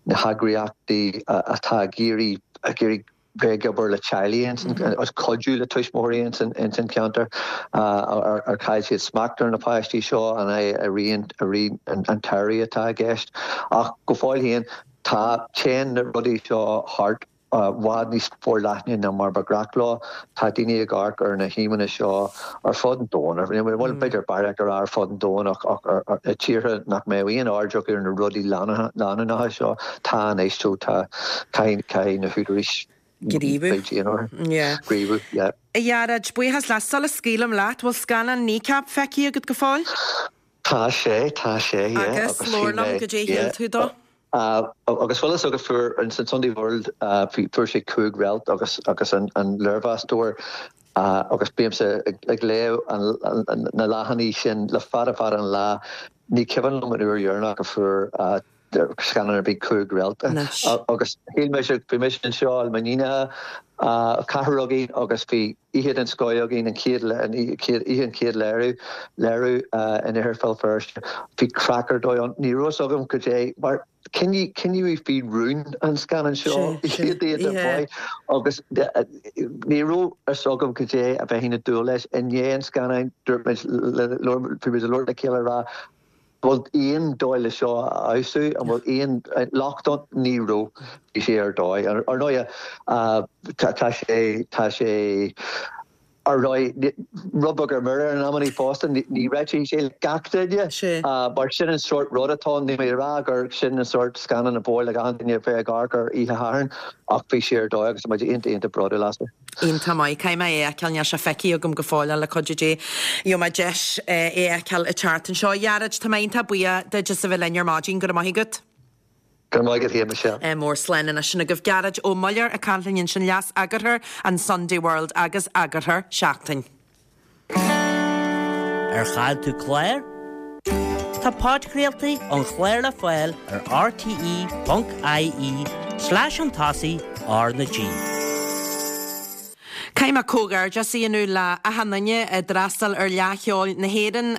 na heagraíochtaí atá ag iarraidh ag iarraidh bheith ag obair le teaghlaigh ins an agus cuidiú le tuismitheoirí ins an ins an cheantar ar ar chaill siad smacht ar na páistí seo an é a rian a rian an an t-airí atá i gceist ach go fóill féin tá téann na rudaí seo thart i bhfad níos forleithne ná mar ba ghnách leo. Tá daoine ag amharc ar na híomhánna seo ar fud an domhain, bhuel, b'fhéidir beairic a rá ar fud an domhain ach i tíortha nach mbeadh aon aird acu ar na rudaí leanúnacha seo, tá anois, so tá, caithfidh na húdaráis gníomhú. Gníomhú, yeah. A Ghearóid, buíochas leat. Sula scaoilim leat, bhfuil scannán Kneecap feicthe agat go fóill? Tá sé, tá sé, yeah. Agus, labhair liom, goidé shíl tú dó? Agus bhfuil fhios agat fuair an Sunday World fuair sé cúig réalt agus agus an an léirmheastóir agus bímse ag léamh na leathanaigh sin le fada fada an lá. Ní cuimhin liom an uair dheireanach a fuair scannán ar bith cúig réalt. Agus shíl mise bhí mise anseo le m'iníonacha ceathrar againn agus bhí oíche den scoth againn, an chéad oíche an chéad léiriú léiriú in Iarthar Bhéal Feirste. Bhí craic ar dóigh ann. Ní raibh fhios agam cad é mar coinníodh faoi rún an scannán seo iad iad ar fáil agus ní raibh fhios agam cad é a bheinn ag dúil leis. I ndiaidh an scannáin dúirt muid bhí muid ag labhairt le chéile ag rá bhfuil aon dóigh le seo a fheabhsú, an bhfuil aon locht ann? Ní raibh. Bhí sé ar dóigh. Ar ndóigh, tá sé, tá sé, ar ndóigh, rud beag ar mire in amannaí fosta, ní réitíonn sé le gach duine. Mar sin an sórt rud atá ann. Níl mé ag rá gur sin an sórt scannán a ba mhaith le achan duine a bheith ag amharc air oíche Shathairn ach bhí sé ar dóigh agus tá muid iontach, iontach bródúil as. Iontach maith. Caithfidh mé é a fheiceáil, níl sé feicthe agam go fóill ach le cuidiú Dé gheobhaidh mé deis é a fheiceáil an tseachtain seo. A Ghearóid, tá mé iontach buíoch duit as a bheith linn ar maidin. Go raibh maith agat. Go raibh maith agat féin, Michelle. Mór slán anois. Sin agaibh Gearóid Ó Muilleoir ag caint linn ansin, leas-eagarthóir an Sunday World agus eagarthóir Seachtain. Ar chaill tú clár? Tá podchraoltaí an chláir le fáil ar R T E ponc I E slash chun tosaigh R na G. Caithfidh mé comhghairdeas a dhéanamh le achan duine a d'fhreastail ar Fhleadh Cheoil na hÉireann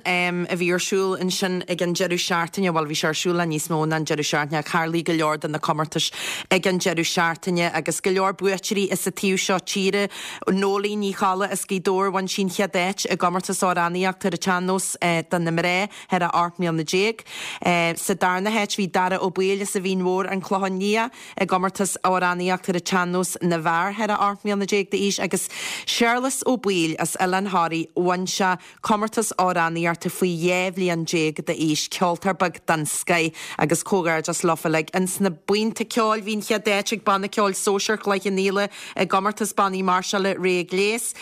a bhí ar siúl ansin ag an deireadh seachtaine, bhuel, bhí sé ar siúl le níos mó ná an deireadh seachtaine ach tharlaigh go leor de na comórtais ag an deireadh seachtaine agus go leor buaiteoirí as an taobh seo tíre. Nóilín Ní Cholla as Gaoth Dobhair, bhain sí an chéad áit i gcomórtas amhránaíochta ar an tsean-nós do na mná thar a ocht mbliana déag. Sa darna háit bhí Dara Ó Baoill as an Mhín Mhór, An Clochán Liath, i gcomórtas amhránaíochta ar an tsean-nós na bhfear thar a ocht mbliana déag d'aois agus Séarlas Ó Baoill as Oileán Thoraí, bhain sé comórtas amhránaíochta faoi dhá bhliain déag d'aois, ceoltóir beag den scoith agus comhghairdeas leofa uilig. Ins na buíonta ceoil bhí an chéad áit ag Banna Ceoil Sóisear Chloich Cheann Fhaola i gcomórtas bannaí máirseála Rogha Gléas.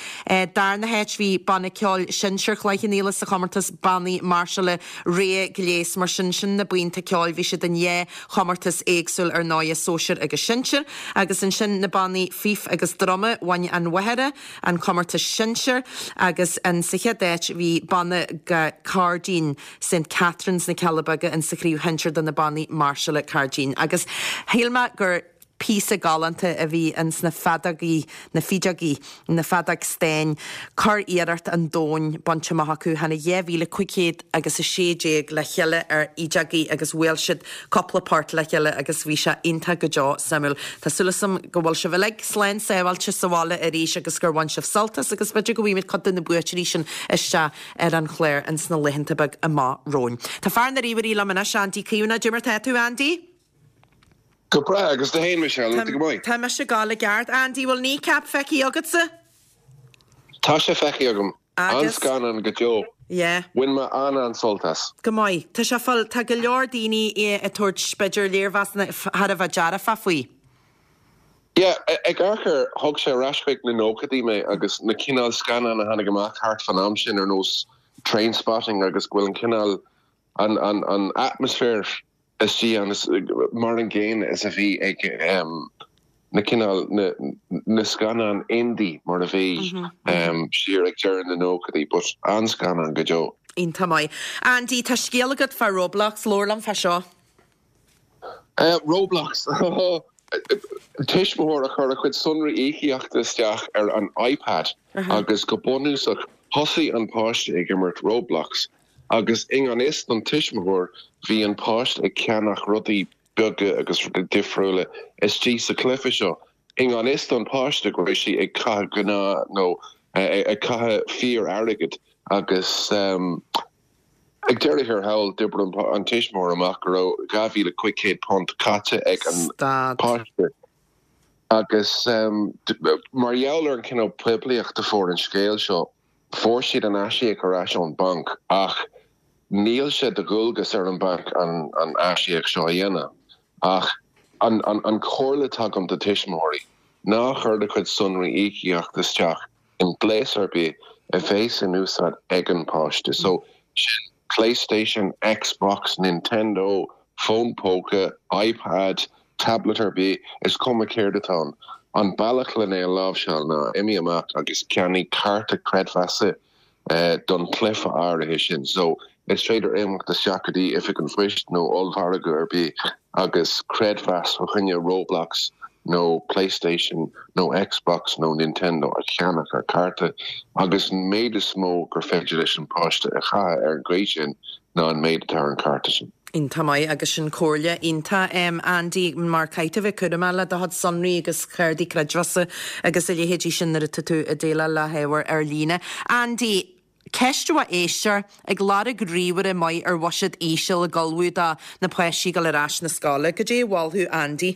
Darna háit bhí Banna Ceoil Sinsear Chloich Cheann Fhaola sa chomórtas bannaí máirseála Rogha Gléas. Mar sin sin na buíonta ceoil, bhí siad in dhá chomórtas éagsúil ar ndóigh, sóisear agus sinsear, agus ansin na bannaí fife agus druma, bhain an Mhachaire an comórtas sinsear agus an sa chéad áit bhí banna cairdín Saint Catherine's na Cealla Beaga in sa chraobh shinsir do na bannaí máirseála cairdín. Agus shíl mé gur píosa galánta a bhí ins na feadógaí, na fideogaí, na feadóg stáin, curiarracht an domhain bainte amach acu, tháinig dhá mhíle cúig chéad agus a sé déag le chéile ar fhideogaí agus bhuail siad cúpla port le chéile agus bhí sé iontach go deo suimiúil. Tá súil agam go bhfuil sibh uilig slán sábháilte sa bhaile arís agus gur bhain sibh sult as agus b'fhéidir go bhfaighimid cuid de na buaiteoirí sin isteach ar an chlár ins na laethanta beag amach romhainn. Tá fear na ríomhairí liom anois, Andy Caomhánach, cad é mar tá tú, Andy? Go breá agus tú féin, Michelle, go maith. Tá mise go ceart. Andy, bhfuil Kneecap feicthe agatsa? Tá sé feicthe agam. An-scannán go deo. Yeah. Bhain mé an an-sult as. Go maith. Tá sé fáil tá go leor daoine ag tabhairt b'fhéidir léirmheasanna thar a bheith dearfach faoi. Yeah, ag amharc thug sé ar ais chuig na nóchaidí mé agus na cineál scannán a tháinig amach thart fan am sin ar nós Trainspotting agus go bhfuil an cineál an, an, an atmaisféar istigh an mar an gcéanna is a bhí ag um, na cineál na, na scannán indie mar a bhí mm -hmm. um, siar ag deireadh na nóchaidí, but an-scannán go deo. Iontach maith. Andy, tá scéal agat fá Roblox, labhair liom fá seo. Uh, Roblox Tuismitheoir a chuir a chuid sonraí íocaíochta isteach ar an iPad uh -huh. agus go bunúsach thosaigh an páiste ag imirt Roblox agus i ngan fhios don tuismitheoir bhí an páiste ag ceannach rudaí beaga agus rudaí difriúla istigh sa chluiche seo. I ngan fhios don páiste go raibh sí ag caitheamh gná nó ag caitheamh fíor-airgead agus um, ag deireadh thiar thall d'oibrigh an tuismitheoir amach go raibh dhá mhíle cúig chéad punt caite ag an páiste. Agus um, mar gheall ar an cineál poiblíocht a fuair an scéal seo, fuair siad an aisíoc ar ais ón banc ach níl sé de dhualgas ar an banc an, an aisíoc seo a dhéanamh. Ach an, an, an chomhairle atá agam do tuismitheoirí ná cuir do chuid sonraí íocaíochta isteach in gléas ar bith a bheas in úsáid ag an páiste. So sin PlayStation, Xbox, Nintendo, fón póca, iPad, tablet ar bith is cuma céard atá ann. An bealach lena é a láimhseáil ná imigh amach agus ceannaigh cárta creidmheasa uh, don chluiche áirithe sin. So is féidir imeacht isteach go dtí oifig an phoist nó ollmhargadh ar bith agus creidmheas fá choinne Roblox nó PlayStation nó Xbox nó Nintendo a cheannach ar cárta agus an méid is mó gur féidir leis an páiste a chaitheamh ar an gcaoi sin ná an méid atá ar an cárta sin. Iontach maith agus sin comhairle iontach um, Andy mar caithfidh bheith cúramach le do chuid sonraí agus cártaí creidmheasa agus a leithéidí sin nuair atá tú ag déileáil le hábhar ar líne. Andy, ceist ó éisteoir ag lorg ríomhaire maith ar bhuiséad íseal ag ullmhú do na páistí dul ar ais na scoile. Cad é a mholfá Andy?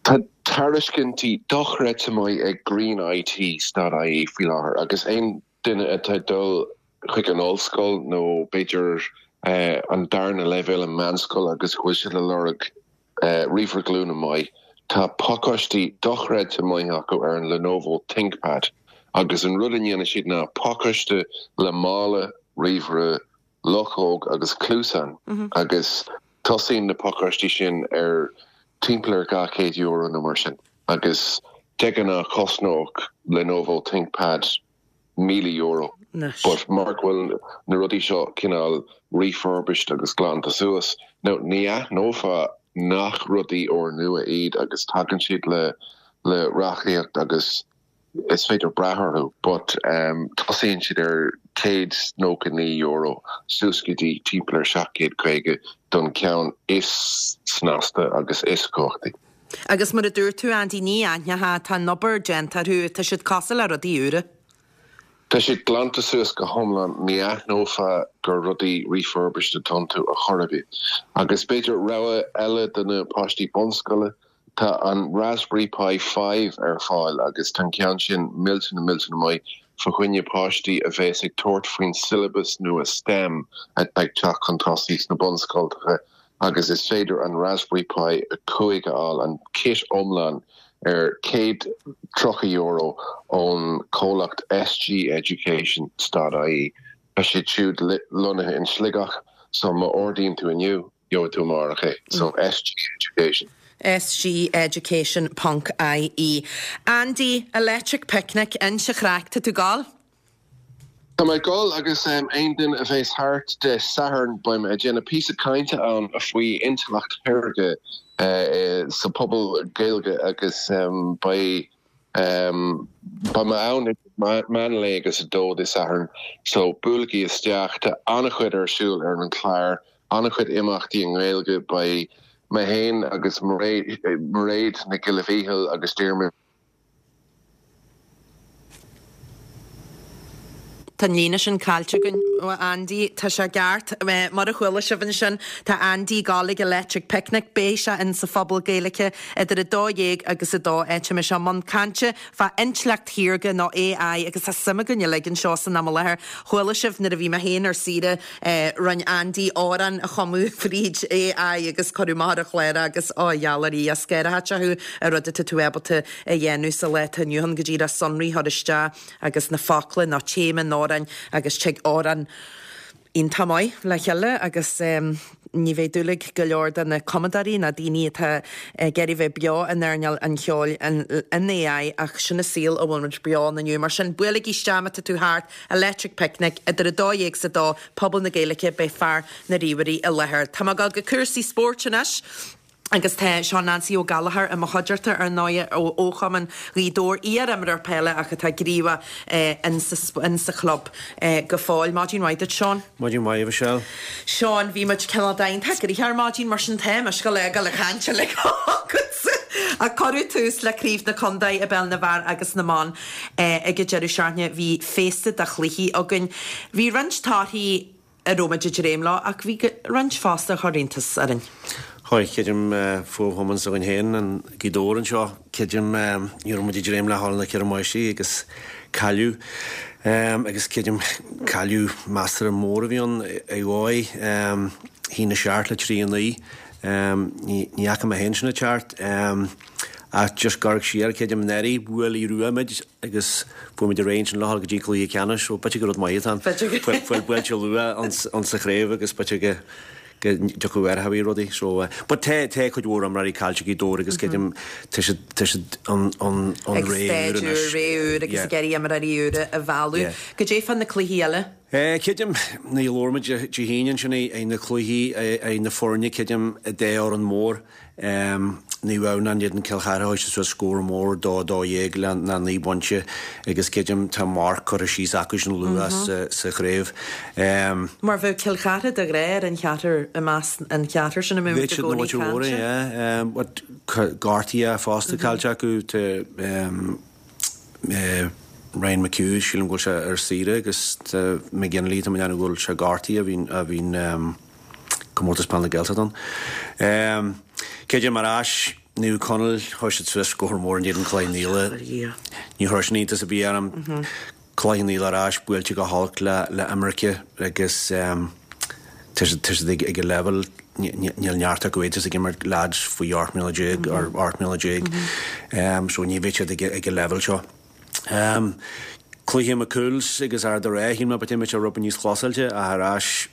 Tá tairiscintí dochreidte maith ag Green I T dot I E faoi láthair agus aon duine atá dul chuig an ollscoil nó b'fhéidir uh, an darna leibhéal an meánscoil agus go bhfuil siad ag lorg uh, ríomhaire glúine maith. Tá pacáistí dochreidte maith acu ar an Lenovo ThinkPad agus an rud a dhéanann siad ná pacáiste le mála ríomhaire luchóg agus cluasáin mm -hmm. agus tosaíonn na pacáistí sin ar timpeall ar dhá chéad euro nó mar sin agus de ghnáth chosnódh Lenovo ThinkPad míle euro. But mar go bhfuil na rudaí seo cineál refurbished agus glanta suas, now ní aithneofá nach rudaí úrnua iad agus tagann siad le le reachtaíocht agus is féidir brath orthu, but um, tosaíonn siad ar céad nócha naoi euro suas go dtí timpeall ar seacht gcéad caoga don ceann is snasta agus is cumhachtaí. Agus mar a dúirt tú, Andy, ní aithneofá, tá an obair déanta orthu, tá siad cosúil le rudaí úra. Tá siad glanta suas go hiomlán, ní aithneofá gur rudaí refurbished atá iontu ar chor ar bith. Agus b'fhéidir rogha eile do na páistí bunscoile, tá an Raspberry Pi five ar fáil agus tá an ceann sin millteanach millteanach maith fá choinne páistí a bheas ag tabhairt faoin siollabas nua STEM atá ag teacht chun tosaigh sna bunscoltacha agus is féidir an Raspberry Pi a cúig a fháil, an kit iomlán, ar céad tríocha euro ón comhlacht SG Education dot ie. Tá siad siúd lonnaithe in Sligeach so má ordaíonn tú inniu, gheobhaidh tú amárach é. So SG Education. SG Education ponc IE. Andy, Electric Picnic, inis an chraic, tá tú ag gabháil? Tá mé ag gabháil agus aon duine a bheas thart Dé Sathairn beidh mé ag déanamh píosa cainte ann faoi intleacht shaorga sa phobal Gaeilge agus beidh beidh mé ann idir meán lae agus a dó Dé Sathairn so buailigí isteach. Tá an-chuid ar siúl ar an chlár, an-chuid imeachtaí i nGaeilge, beidh mé féin agus Mairéad Nic Giolla Mhíchíl agus Diarmuid. Tá an líne sin caillte againn, a Andy. Tá sé ceart. Mar a chuala sibh ansin, tá Andy ag gabháil ag Electric Picnic. Beidh sé in sa Phuball Gaeilge idir a dó dhéag agus a dó. Tá mise i mbun cainte fá intleacht shaorga nó AI agus tá suim againn uilig anseo san am i láthair. Chuala sibh nuair a bhí mé féin ar saoire, rinne Andy amhrán a chumadh fríd AI agus cuireadh amach ar an chlár é agus ó gheall ar Dhia, scanraíonn sé thú an rud atá tú ábalta a dhéanamh sa lá atá inniu ann go díreach sonraí a chur isteach agus na focla nó téama an amhráin agus tig amhrán iontach maith le chéile agus ní bheidh dúil ag go leor de na cumadóirí ná daoine atá ag iarraidh bheith beo in earnáil an cheoil in AI ach sin an saol a bhfuil muid beo ann inniu. Mar sin, buailigí isteach má tá tú thart, Electric Picnic, idir a dó dhéag 's a dó, Puball na Gaeilge, beidh fear na ríomhairí i láthair. Tá mé ag dul go cúrsaí spóirt anois. Agus tá Seán Neansaí Ó Gallchóir i mo chuideachta ar ndóigh ó Chumann Ghaoth Dobhair, iar-imreoir peile ach atá gníomhach in sa chlub go fóill. Maidin mhaith duit, Seán. Maidin mhaith, a Mhichelle. Seán, bhí muid cineál iontach gnoitheach ar maidin, mar sin tá mise go léir le caint uilig agatsa. Ach cuireadh tús le Craobh na Contae i bPeil na bhFear agus na mBan ag an deireadh seachtaine. Bhí féasta de chluichí againn. Bhí roinnt torthaí a raibh muid ag dréim leo ach bhí roinnt fosta a chuir iontas orainn. Chuir, creidim, fo-chumann s'againn féin, an Gaoth Dobhair anseo, creidim, ní raibh muid ag dréim le dhul na Ceithre Máistrí agus cailleadh agus creidim, cailleadh measartha mór a bhí ann ar dhóigh, a haon a seacht le trí a naoi, ní fhaca mé féin sin ag teacht. Ach just ag amharc siar, creidim, anuraidh, bhuail Aodh Rua muid agus fuair muid ar aghaidh ansin le dhul go dtí cluiche ceannais, so b'fhéidir gur rud maith atá ann. Fuil buailte luath ann sa chraobh agus b'fhéidir go go dtiocfadh ar thaobh rudaí. So, but tá tá cuid mhór imreoirí caillte ag Gaoth Dobhair agus creidim tá siad tá siad an an an Ag ré úr staid úr, anois. ré úr agus Yeah. ag iarraidh imreoirí úra a mhealladh. Yeah. Goidé fá na cluichí eile? Eh, creidim, nuair a labhair muid Dé hAoine ansin ag na cluichí, ag na foirne, creidim, an dá fhoireann mór, Naomh Adhamhnáin in éadan Cill Chartha, chuaigh siad suas scór mór, dó a dó dhéag le naoi bpointe agus creidim tá marc curtha síos acu sin luath sa chraobh. Mar bheadh Cill Chartha de ghnáth ar an cheathrar i measc an cheathrar sin a mbeadh muid i gcónaí ag caint air. But gortaithe fosta caillte acu, tá Ryan McHugh, sílim go bhfuil sé ar saoire agus tá McGinley, tá mé ag déanamh go bhfuil sé gortaithe, a bhíonn, a bhíonn Comórtas Peile na Gaeltachta ann. Creidim ar ais, Naomh Conaill, chuir siad suas scór mór in éadan Chloich Cheann Fhaola. Ní chuir sin iontas ar bith orm. Cloich Cheann Fhaola ar ais, buailte go holc le le imirce agus tá siad tá siad ag ag an leibhéal níl neart acu iad ag imirt lads faoi ocht mbliana déag or ocht mbliana déag so ní bheidh siad ag ag an leibhéal seo. Cluiche McCool's agus Ard an Rátha, shíl mé b'fhéidir mbeadh sé rud níos closáilte ach ar ais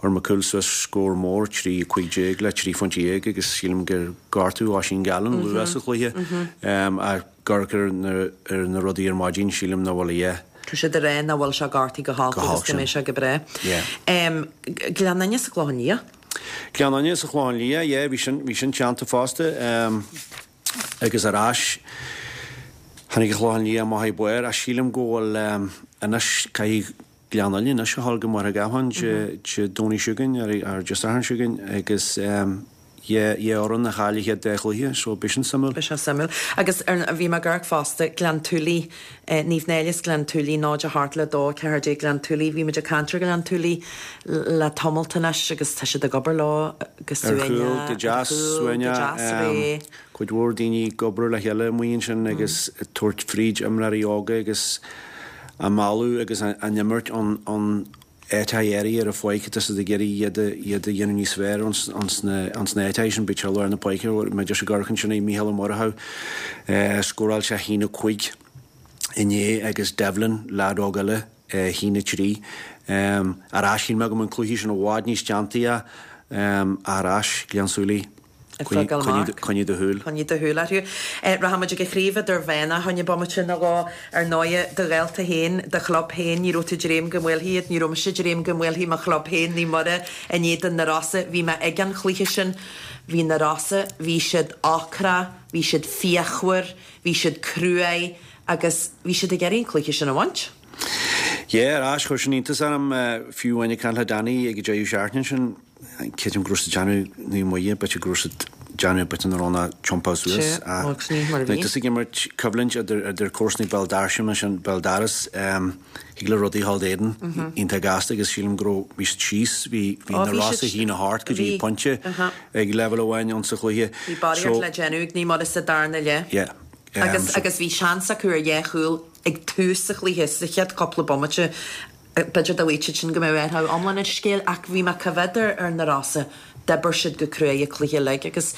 fuair McCool's suas scór mór, trí a cúig déag le trí phointe dhéag agus sílim gur gortú Oisín Gallen luath sa chluiche. Ach ag amharc ar na ar na rudaí ar maidin sílim nach bhfuil a dhath Tá siad ag rá nach bhfuil sé gortaithe go holc agus go mbeidh sé go breá. Gleann Fhinne sa Chlochán Liath. Gleann Fhinne sa Chlochán Liath, yeah, bhí sin, bhí sin teannta fosta. Agus ar ais, tháinig an Chlochán Liath amach ag barr ach sílim go bhfuil anois, caithfidh Gleann Fhinne anois a dhul go Machaire Gathlán Dé Domhnaigh seo chugainn, ar Dé Sathairn seo chugainn agus dhá fhoireann a chaill a chéad dá chluiche so beidh sin suimiúil. Beidh sé suimiúil. Agus ar, bhí mé ag amharc fosta, Gleann tSúilí, Naomh Náille is Gleann tSúilí, náid a hocht le dó, ceathair déag Gleann tSúilí, bhí muid ag caint ar Ghleann tSúilí le tamalt anois agus tá siad ag obair leo go Ar chúl, suaimhneach, go ar deas, chúl, go suaimhneach, deas réidh. cuid mhór daoine ag obair le chéile amuigh ansin agus ag tabhairt fríd imreoirí óga agus á mealladh agus á n-imirt an áiteacha áirithe ar an pháirc atá siad ag iarraidh iad a iad a dhéanamh níos fearr ins na ins na áiteacha sin b'fhéidir lár na páirce mé just ag amharc ansin ag Mícheál Ó Murchú scóráil sé a haon a cúig inné agus Devlin leaid óg eile a haon a trí ar ais shíl mé go mbeadh an cluiche sin i bhfad níos teanntaí ar ais Gleann tSúilí. Coinnigh do shúil. Coinnigh do shúil orthu. Rachaidh muid ag an chraobh idirmheánach fá choinne bomaite nó dhó. Ar ndóighe, do ghaolta féin, do chlub féin, ní raibh tú ag dréim go mbuailfí iad, ní raibh mise ag dréim go mbuailfí mo chlub féin, Naomh Muire, in éadan na Rosa. Bhí mé ag an chluiche sin. Bhí na Rosa, bhí siad ocrach, bhí siad fíochmhar, bhí siad cruaidh agus bhí siad ag iarraidh an cluiche sin a bhaint. Yeah, ar ais, chuir sin iontas orm, fiú amháin ag caint le Danny ag an deireadh seachtaine sin, creidim go raibh siad ag déanamh Naomh Muire, b'fhéidir go raibh siad ag déanamh b'fhéidir nach raibh ná tiompáil suas. Sea, agus ní mar a bhí. Tusa ag imirt coimhlint idir idir comharsanaí Béal Dorais mar sin, Béal Doras, thig le rudaí dhul d'éadan iontach gasta agus sílim go raibh, bhí siad síos, bhí bhí Ó, na bhí Rosa siad, a haon a hocht go dtí bhí, pointe ag leibhéal amháin ionsa chluiche. Bhí barraíocht So, le déanamh ag Naomh Muire sa darna leath. yeah. Agus agus bhí seans acu ar dhá chúl ag tús an chluiche, sa chéad cúpla bomaite. B'fhéidir dá bhfaigheadh siad sin go mbeadh athrú iomlán ar an scéal ach bhí mé ag coimhéad ar ar na Rosa, d'oibir siad go cruaidh an cluiche uilig agus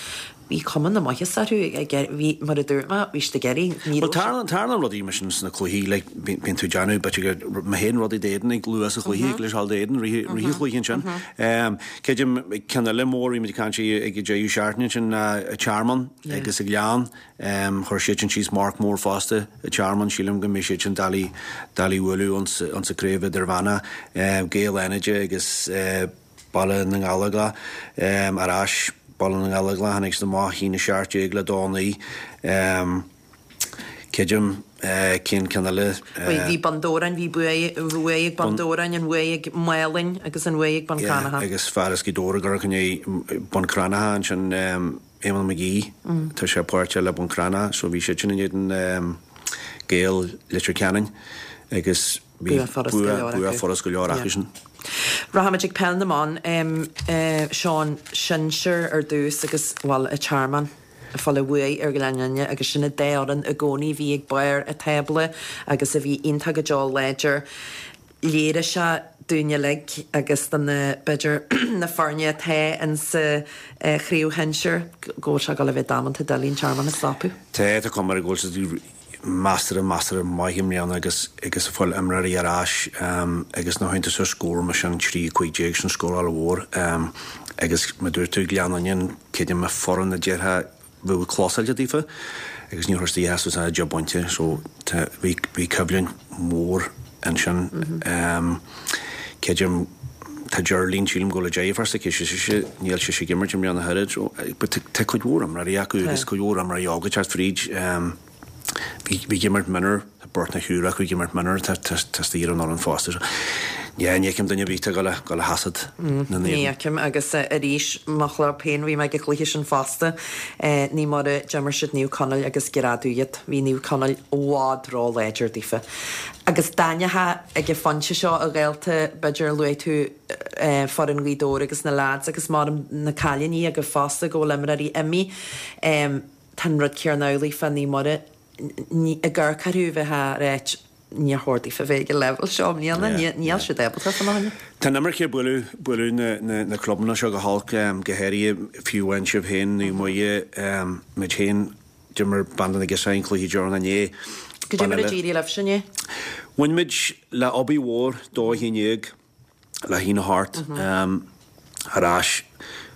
bhí cuma na maitheasa orthu ag bhí mar a dúirt mé, bhí siad ag iarraidh, ní Bhuel raibh siad. tarlaíonn tarlaíonn rudaí mar sin sna cluichí like bíonn tú ag déanamh b'fhéidir gur má théann rudaí d'éadan ag luath sa chluiche ag leis d'éadan rith rith an chluiche ansin. Creidim ceann eile mór bhí muid ag caint ag an deireadh seachtaine ansin ná Tearmann agus an Gleann. Chuir siad sin síos marc mór fosta an Tearmann, sílim go mbeidh siad sin doiligh doiligh a bhualadh ins sa craobh idirmheánach. Gaeil Fhánada agus Baile na nGallóglach ar ais, Baile na nGallóglach tháinig siad amach a haon a seacht déag le dó naoi. Creidim cén ceann eile. Bhí Bun Dobhráin, bhí bua ag Bun Dobhráin, an bhuaidh ag Málainn agus an bhuaidh ag Bun Cranncha. Agus fear as Gaoth Dobhair ag amharc i ndiaidh Bun Cranncha ansin. Éamonn McGee, tá sé páirteach le Bun Cranncha so bhí siad sin in éadan Gaeil Leitir Ceanainn agus bhí Bua furast go leor bua acu. furast go leor acu sin. Rachaimid ag Peil na mBan, Seán, sinsear ar dtús agus, bhuel, an Tearmann ag fáil an bhuaidh ar Ghleann Fhinne agus sin an dá fhoireann i gcónaí a bhí ag barr an tábla agus a bhí iontach go deo láidir. Léirigh sé dúinn uilig agus do na, b'fhéidir, na foirne atá insa chraobh shinsir go bhfuil sé ag dul a bheith damanta doiligh an Tearmann a stopadh. Tá, tá cuma air go bhfuil siad measartha, measartha maith i mbliana agus, agus ag fáil imreoirí ar ais agus nuair a théann tú suas scór mar sin, trí a cúig déag, sin scóráil mhór agus mar a dúirt tú, Gleann Fhinne, creidim foireann a déarfá bheadh closáilte daofa agus níor chuir siad a suas ach deich bpointe so tá bhí bhí coimhlint mhór ansin. Creidim tá Geraldine sílim go bhfuil a deirfiúr s'aici sise níl sise ag imirt i mbliana ach oiread so but tá tá cuid mhór imreoirí acu agus cuid mhór imreoirí óga ag teacht fríd. Bhí bhí ag imirt mionúr tá beirt nó triúr acu ag imirt mionúr tá tá tá istigh ar an fhoireann fosta so Yeah, ní fheicim duine ar bith atá ag dul a sheasamh na Ní naomh. fheicim agus arís mo chlub féin bhí mé ag an chluiche sin fosta. Naomh Muire d'imir siad Naomh Conaill agus greadadh iad. Bhí Naomh Conaill i bhfad ró-láidir daofa. Agus d'aithneofá ag an phointe seo a ghaolta b'fhéidir luaigh tú foireann Ghaoth Dobhair agus na leaids agus maram na cailíní agaibh fosta go bhfuil imreoirí imithe. Tá an rud céanna amhlaidh fá Naomh Muire. Ag amharc orthu bheifeá ag ráit níor chóir daofa bheith ag an leibhéal seo i mbliana, níl siad ábalta fanacht ann. Tá an imirce ag bualadh, bualadh na, na, na clubanna seo go holc, go háirithe fiú amháin sibh féin, Naomh Muire, muid féin, d'imir Banda na gCiseach an cluiche deireanach inné. Cad é mar a d'éirigh libhse inné? Bhain muid le Abaidh Mhór dó a haon déag le haon a hocht ar ais.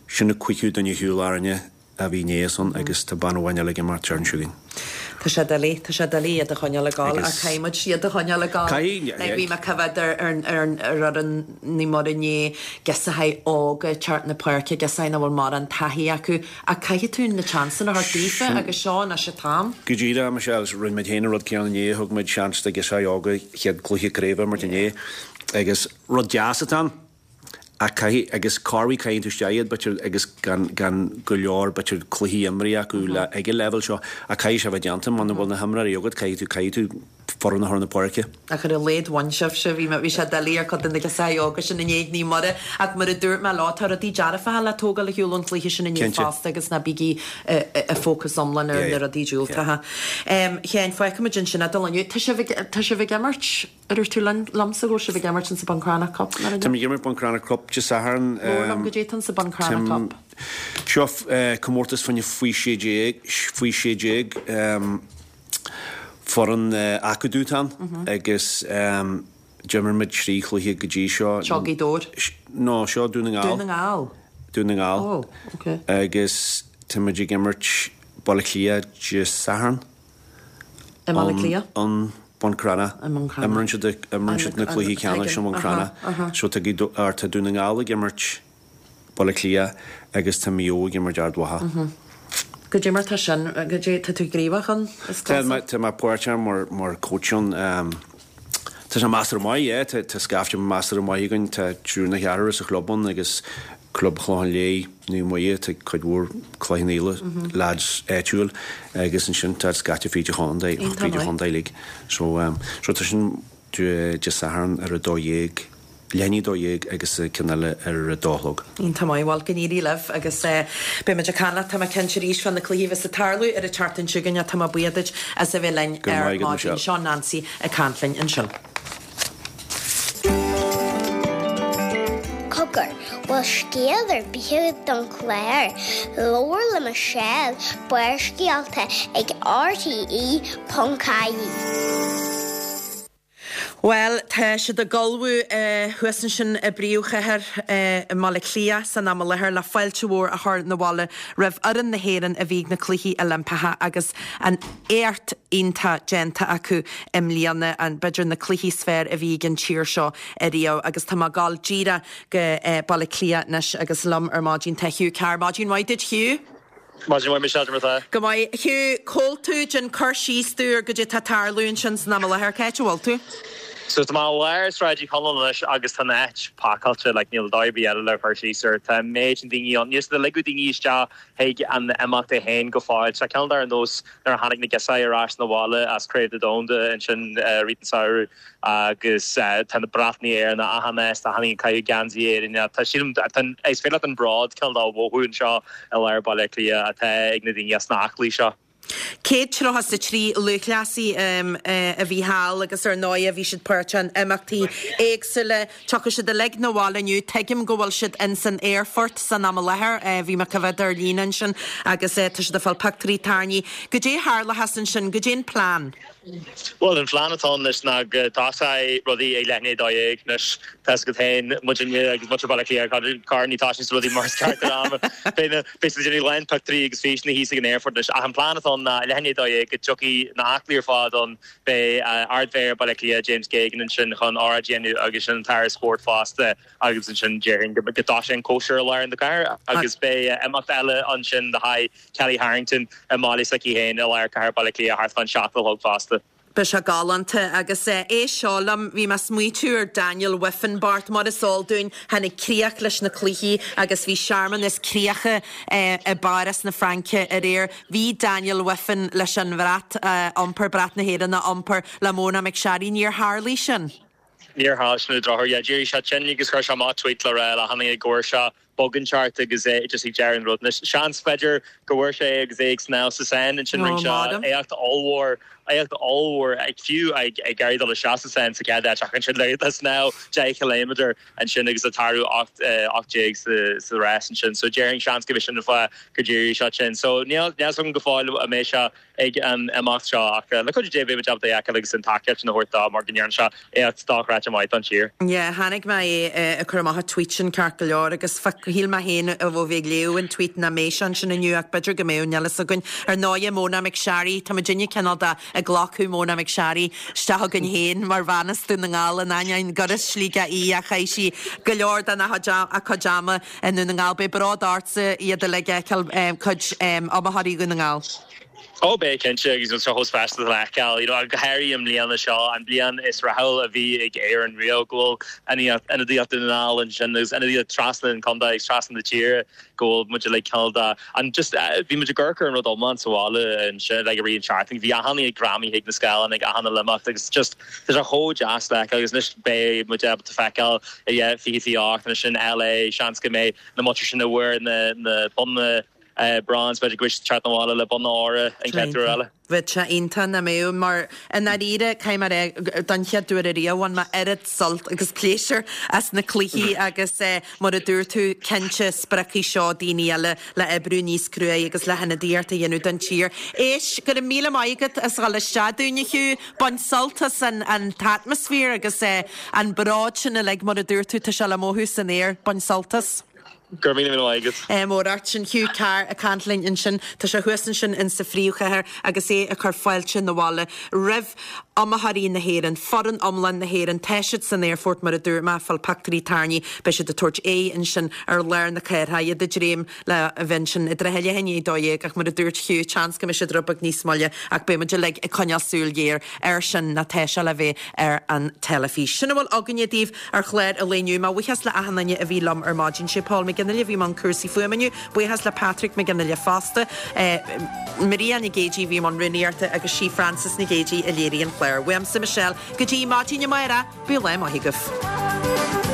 Sin an cúigiú duine ar shiúl orainne. a bhí inné ansan agus tá bean amháin eile ag imeacht an tseachtain seo chugainn. Tá sé doiligh, tá sé doiligh iad a choinneáil ag gabháil, ach caithfidh muid iad a choinneáil ag gabháil. Caithfidh, Like, bhí mé ag coimhéad ar ar ar ar fhoireann Naomh Muire inné, girseachaí óga ag teacht na páirce, girseachaí nach bhfuil mórán taithí acu, ach caithfidh tú na seansanna a thabhairt daofa agus seo anois an t-am. Go díreach, Michelle, rinne muid féin an rud céanna inné, thug muid seans do ghirseachaí óga chéad cluiche craoibhe a imirt inné agus rud deas atá ann. Ach caithfidh, agus corruair caitheann tú isteach iad, b'fhéidir, agus gan, gan go leor, b'fhéidir, cluichí imrithe acu le, ag an leibhéal seo, ach caithfidh sé a bheith déanta, muna bhfuil na himreoirí agat, caithfidh tú, caithfidh tú foireann a chur na páirce. Ach ar a laghad bhain sibhse, bhí mé, bhí sé doiligh ar chuid de na girseachaí óga sin inné ag Naomh Muire, ach mar a dúirt mé leo, tá rudaí dearfacha le tógáil ar shiúl ón chluiche sin inné Cinnte. fosta agus ná bígí i bhfócas iomlán ar Yeah, na rudaí diúltacha. yeah. Sheáin, fágfaimid ansin é don lá inniu. Tá sibh ag, tá sibh ag imirt? Ar dúirt tú linn, liomsa go bhfuil sibh ag imirt insa Buncrana Cup, mar Tá muid ag imirt Buncrana Cup Dé Sathairn. Labhair liom goidé atá insa Buncrana Cup. Seo comórtas fá choinne faoi sé déag, faoi sé déag, foireann acadúil atá ann agus d'imir muid trí chluiche go dtí seo. Seo Gaoth Dobhair? No, seo Dún na nGall. Dún na nGall? Dún na nGall. Oh, ok. Agus tá muid ag imirt Baile Átha Cliath Dé Sathairn. I mBaile Átha Cliath? An Buncrana. I mBuncrana. Imríonn siad imríonn siad na cluichí ceannais i mBuncrana. So tá Gaoth Dobhair, or tá Dún na nGall ag imirt Baile Átha Cliath agus tá Maigh Eo ag imirt Ard Mhacha. Goidé mar tá sin, goidé, tá tú gníomhach ann, is Tá cosúil? mé, tá mé páirteach mar, mar coach ann. Tá sé measartha maith, yeah, tá, tá scaifte measartha maith againn, tá triúr nó ceathrar sa chlub ann agus Club Chlochán Liath, Naomh Muire, tá cuid mhór Cloich Cheann Fhaola, lads áitiúil agus ansin tá scaifte fríd an chontae, Iontach fríd an maith. chontae uilig. So, um, so tá sin Dé Dé Sathairn ar a dó dhéag, leath i ndiaidh a dó dhéag agus ceann eile ar a dó a chlog. Iontach maith, bhuel go n-éirí libh agus eh, beidh muid ag caint leat, tá mé cinnte arís fá na cluichí a bheas ag tarlú ar an tseachtain seo chugainn, tá mé buíoch duit as a bheith linn Go ar maith agat, maidin. Michelle. Seo Nancy ag caint linn ansin. Cogar, bhfuil scéal ar bith don chlár, Labhair le Michelle Barrscéalta ag RTE ponc ie. Bhuel, tá siad ag ullmhú thuas ansin i bpríomhchathair i mBaile Átha Cliath san am i láthair le fáilte mhór a chur na bhaile roimh fhoireann na hÉireann a bhí ag na Cluichí Oilimpeacha agus an éacht iontach déanta acu i mbliana an b'fhéidir na cluichí is fearr a bhí ag an tír seo ariamh agus tá mé ag gabháil díreach go Baile Átha Cliath anois agus liom ar maidin tá Hugh Carr. Maidin mhaith duit Hugh? Maidin mhaith Michelle mar Go maith Hugh cá bhfuil tú déan cur síos dúinn ar goidé tá ag tarlú ansin san am i láthair cá háit a bhfuil tú? So tá mé i lár Sráid Uí Chonaill anois agus tá an áit pacáilte like níl dóigh eile le cur síos ar tá méid an daoine ann níos le ligeadh daoine isteach chuig an imeacht é féin go fóill Tá ceann ar nós nuair a tháinig na girseachaí ar ais na bhaile as Craobh an Domhain ansin rith an samhradh agus tá na bratacha Éireann achan áit tá tháinig caiú geansaí Éireann tá sílim is féidir leat an bród cineál dá mhothú anseo i lár Baile Átha Cliath atá ag na daoine as na haclaí seo. Céad tríocha is a trí lúthchleasaí a bhí thall agus ar ndóigh bhí siad páirteach in imeachtaí éagsúla Tiocfaidh siad uilig na bhaile inniu tuigim go bhfuil siad in san aerfort san am i láthair bhí mé ag coimhéad ar líne ansin agus tá siad ag fáil pictiúirí tarraingthe. Goidé a tharlóchas ansin, goidé an plean. Well an plean atá anois ná go dtosóidh rudaí ag leath i ndiaidh a dó dhéag anois tá go féin muidinne agus muintir Bhaile Átha Cliath car ní tá sin rudaí mar ceart am Beidh déanamh lán pictiúirí agus físeanna thíos ag an aerfort anois ach an plean atá ná leath i ndiaidh a dó dhéag go dtiocfaidh na haclaí ar fad ann beidh Ardmhéara Baile Átha Cliath James Geoghegan ansin chun óráid a dhéanamh agus sin an tAire Spóirt fosta agus ansin déarfainn go dtosóidh an cóisir i lár na cathrach agus beidh imeacht eile ansin le haghaidh Kellie Harrington i mbaile s'aici féin i lár cathair Baile Átha Cliath thart fán seacht a chlog fosta. Beidh sé galánta agus é seo liom bhí mé ag smaointiú ar Daniel Wiffen Bart mar is eol dúinn tháinig críoch leis na cluichí agus bhí searmanas críocha i bPáras na Fraince aréir. Bhí Daniel Wiffen leis an bhrat iompar brat na hÉireann a iompar le Mona McSharry níor tharlaigh sin. Níor tharla sin an drochuair yeah, d'éirigh sé tinn agus chuir sé amach tweet le rá le hana go se bogan chart agus é just ag deireadh an rud. Seans b'fhéidir go bhfuair sé agus é ag snámh sa Seine ansin rinne sé éacht ollmhór éacht ollmhór ag fiú ag ag éirí dul isteach sa Seine sa chéad ach ansin le le snámh deich kilometer ansin agus a tarú ocht ocht déag sa sa rás ansin so déarfainn seans go sin fá go d'éirigh sé sin so níl níl go fóill a mbeidh sé ag an imeacht seo ach le cuidiú Dé beidh jab de agus an tacaíocht na thabhairt dó mar go ndearna sé éacht dochreidte maith don tír. Yeah, tháinig mé ag cur amach a tweet sin ceart go leor agus Shíl mé féin ó bhí ag léamh an tweet nach mbeadh sé ansin inniu ach b'fhéidir go mbeadh, níl a fhios againn. Ar ndóighe, Mona McSharry, tá muidinne cineál de ag glacadh Mona McSharry isteach againn féin mar bhean as Dún na nGall in ainneoin gur as Sligeach í ach chaith sí go leor dena cuid ama i nDún na nGall. Beidh bród ortsa iad uilig a fheiceáil, cuid iomaitheoirí Dhún na nGall. Ó beidh cinnte agus tá sé chomh speisialta le feiceáil, you know, go háirithe i mbliana seo, an bliain is rathúla a bhí ag Éirinn riamh, go bhfuil ionadaíocht Dhún na nGall ansin agus ionadaíocht trasna an chontae agus trasna na tíre, go bhfuil muid uilig cineál de an just bhí muid ag amharc ar an rud iomlán sa bhaile ansin like i rith an tseachtain, bhí achan duine ag greamaithe chuig na scáileáin ag achan uile imeacht agus just tá sé chomh deas le feiceáil agus anois beidh muid ábalta feiceáil i fiche fiche ocht ansin LA, seans go mbeidh na muintir sin a bhfuair na na bonna bronze, b'fhéidir go bhfuil siad ag teacht abhaile le bonn óir an chéad uair eile. Bheadh sé iontach nach mbeadh, mar i ndáiríre, caithfidh mé a rá, don chéad uair ariamh bhain mé oiread sult agus pléisiúr as na cluichí agus mar a dúirt tú, cinnte spreagfaidh seo daoine eile le oibriú níos cruaidh agus le hionadaíocht a dhéanamh don tír. Éist, go raibh míle maith agat as dhul isteach dúinn a Hugh, bain sult as an an t-atmaisféar agus an bród sin uilig mar a dúirt tú, tá sé le mothú san aer, bain sult as. Go raibh míle míle maith agat. Mór ort. Sin Hugh Carr ag caint linn ansin. Tá sé thuas ansin in sa phríomhchathair agus é ag cur fáilte na bhaile roimh iomaitheoirí na hÉireann, foireann iomlán na hÉireann. Tá siad san aerfort mar a dúirt mé, ag fáil pictiúirí tarraingthe. Beidh siad ag tabhairt aghaidh ansin ar lár na cathrach, iad ag dréim le a bheith ansin i dtrátha leath i ndiaidh a dó dhéag ach mar a dúirt Hugh, seans go mbeidh siad rud beag níos moille ach beidh muid uilig ag coinneáil súil ghéar air sin nó tá sé le bheith ar an teilifís. Sin a bhfuil againne daoibh ar chlár an lae inniu. Mo bhuíochas le achan duine a bhí liom ar maidin. Sé Paul McGinley a bhí i mbun cúrsaí fuaime inniu. Buíochas le Patrick McGinley fosta. Maria Nic Géidigh a bhí i mbun rúnaíochta agus sí Frances Nic Géidigh a léirigh an clár. Uaimse Michelle go dtí maidin amárach, bíodh lá maith agaibh.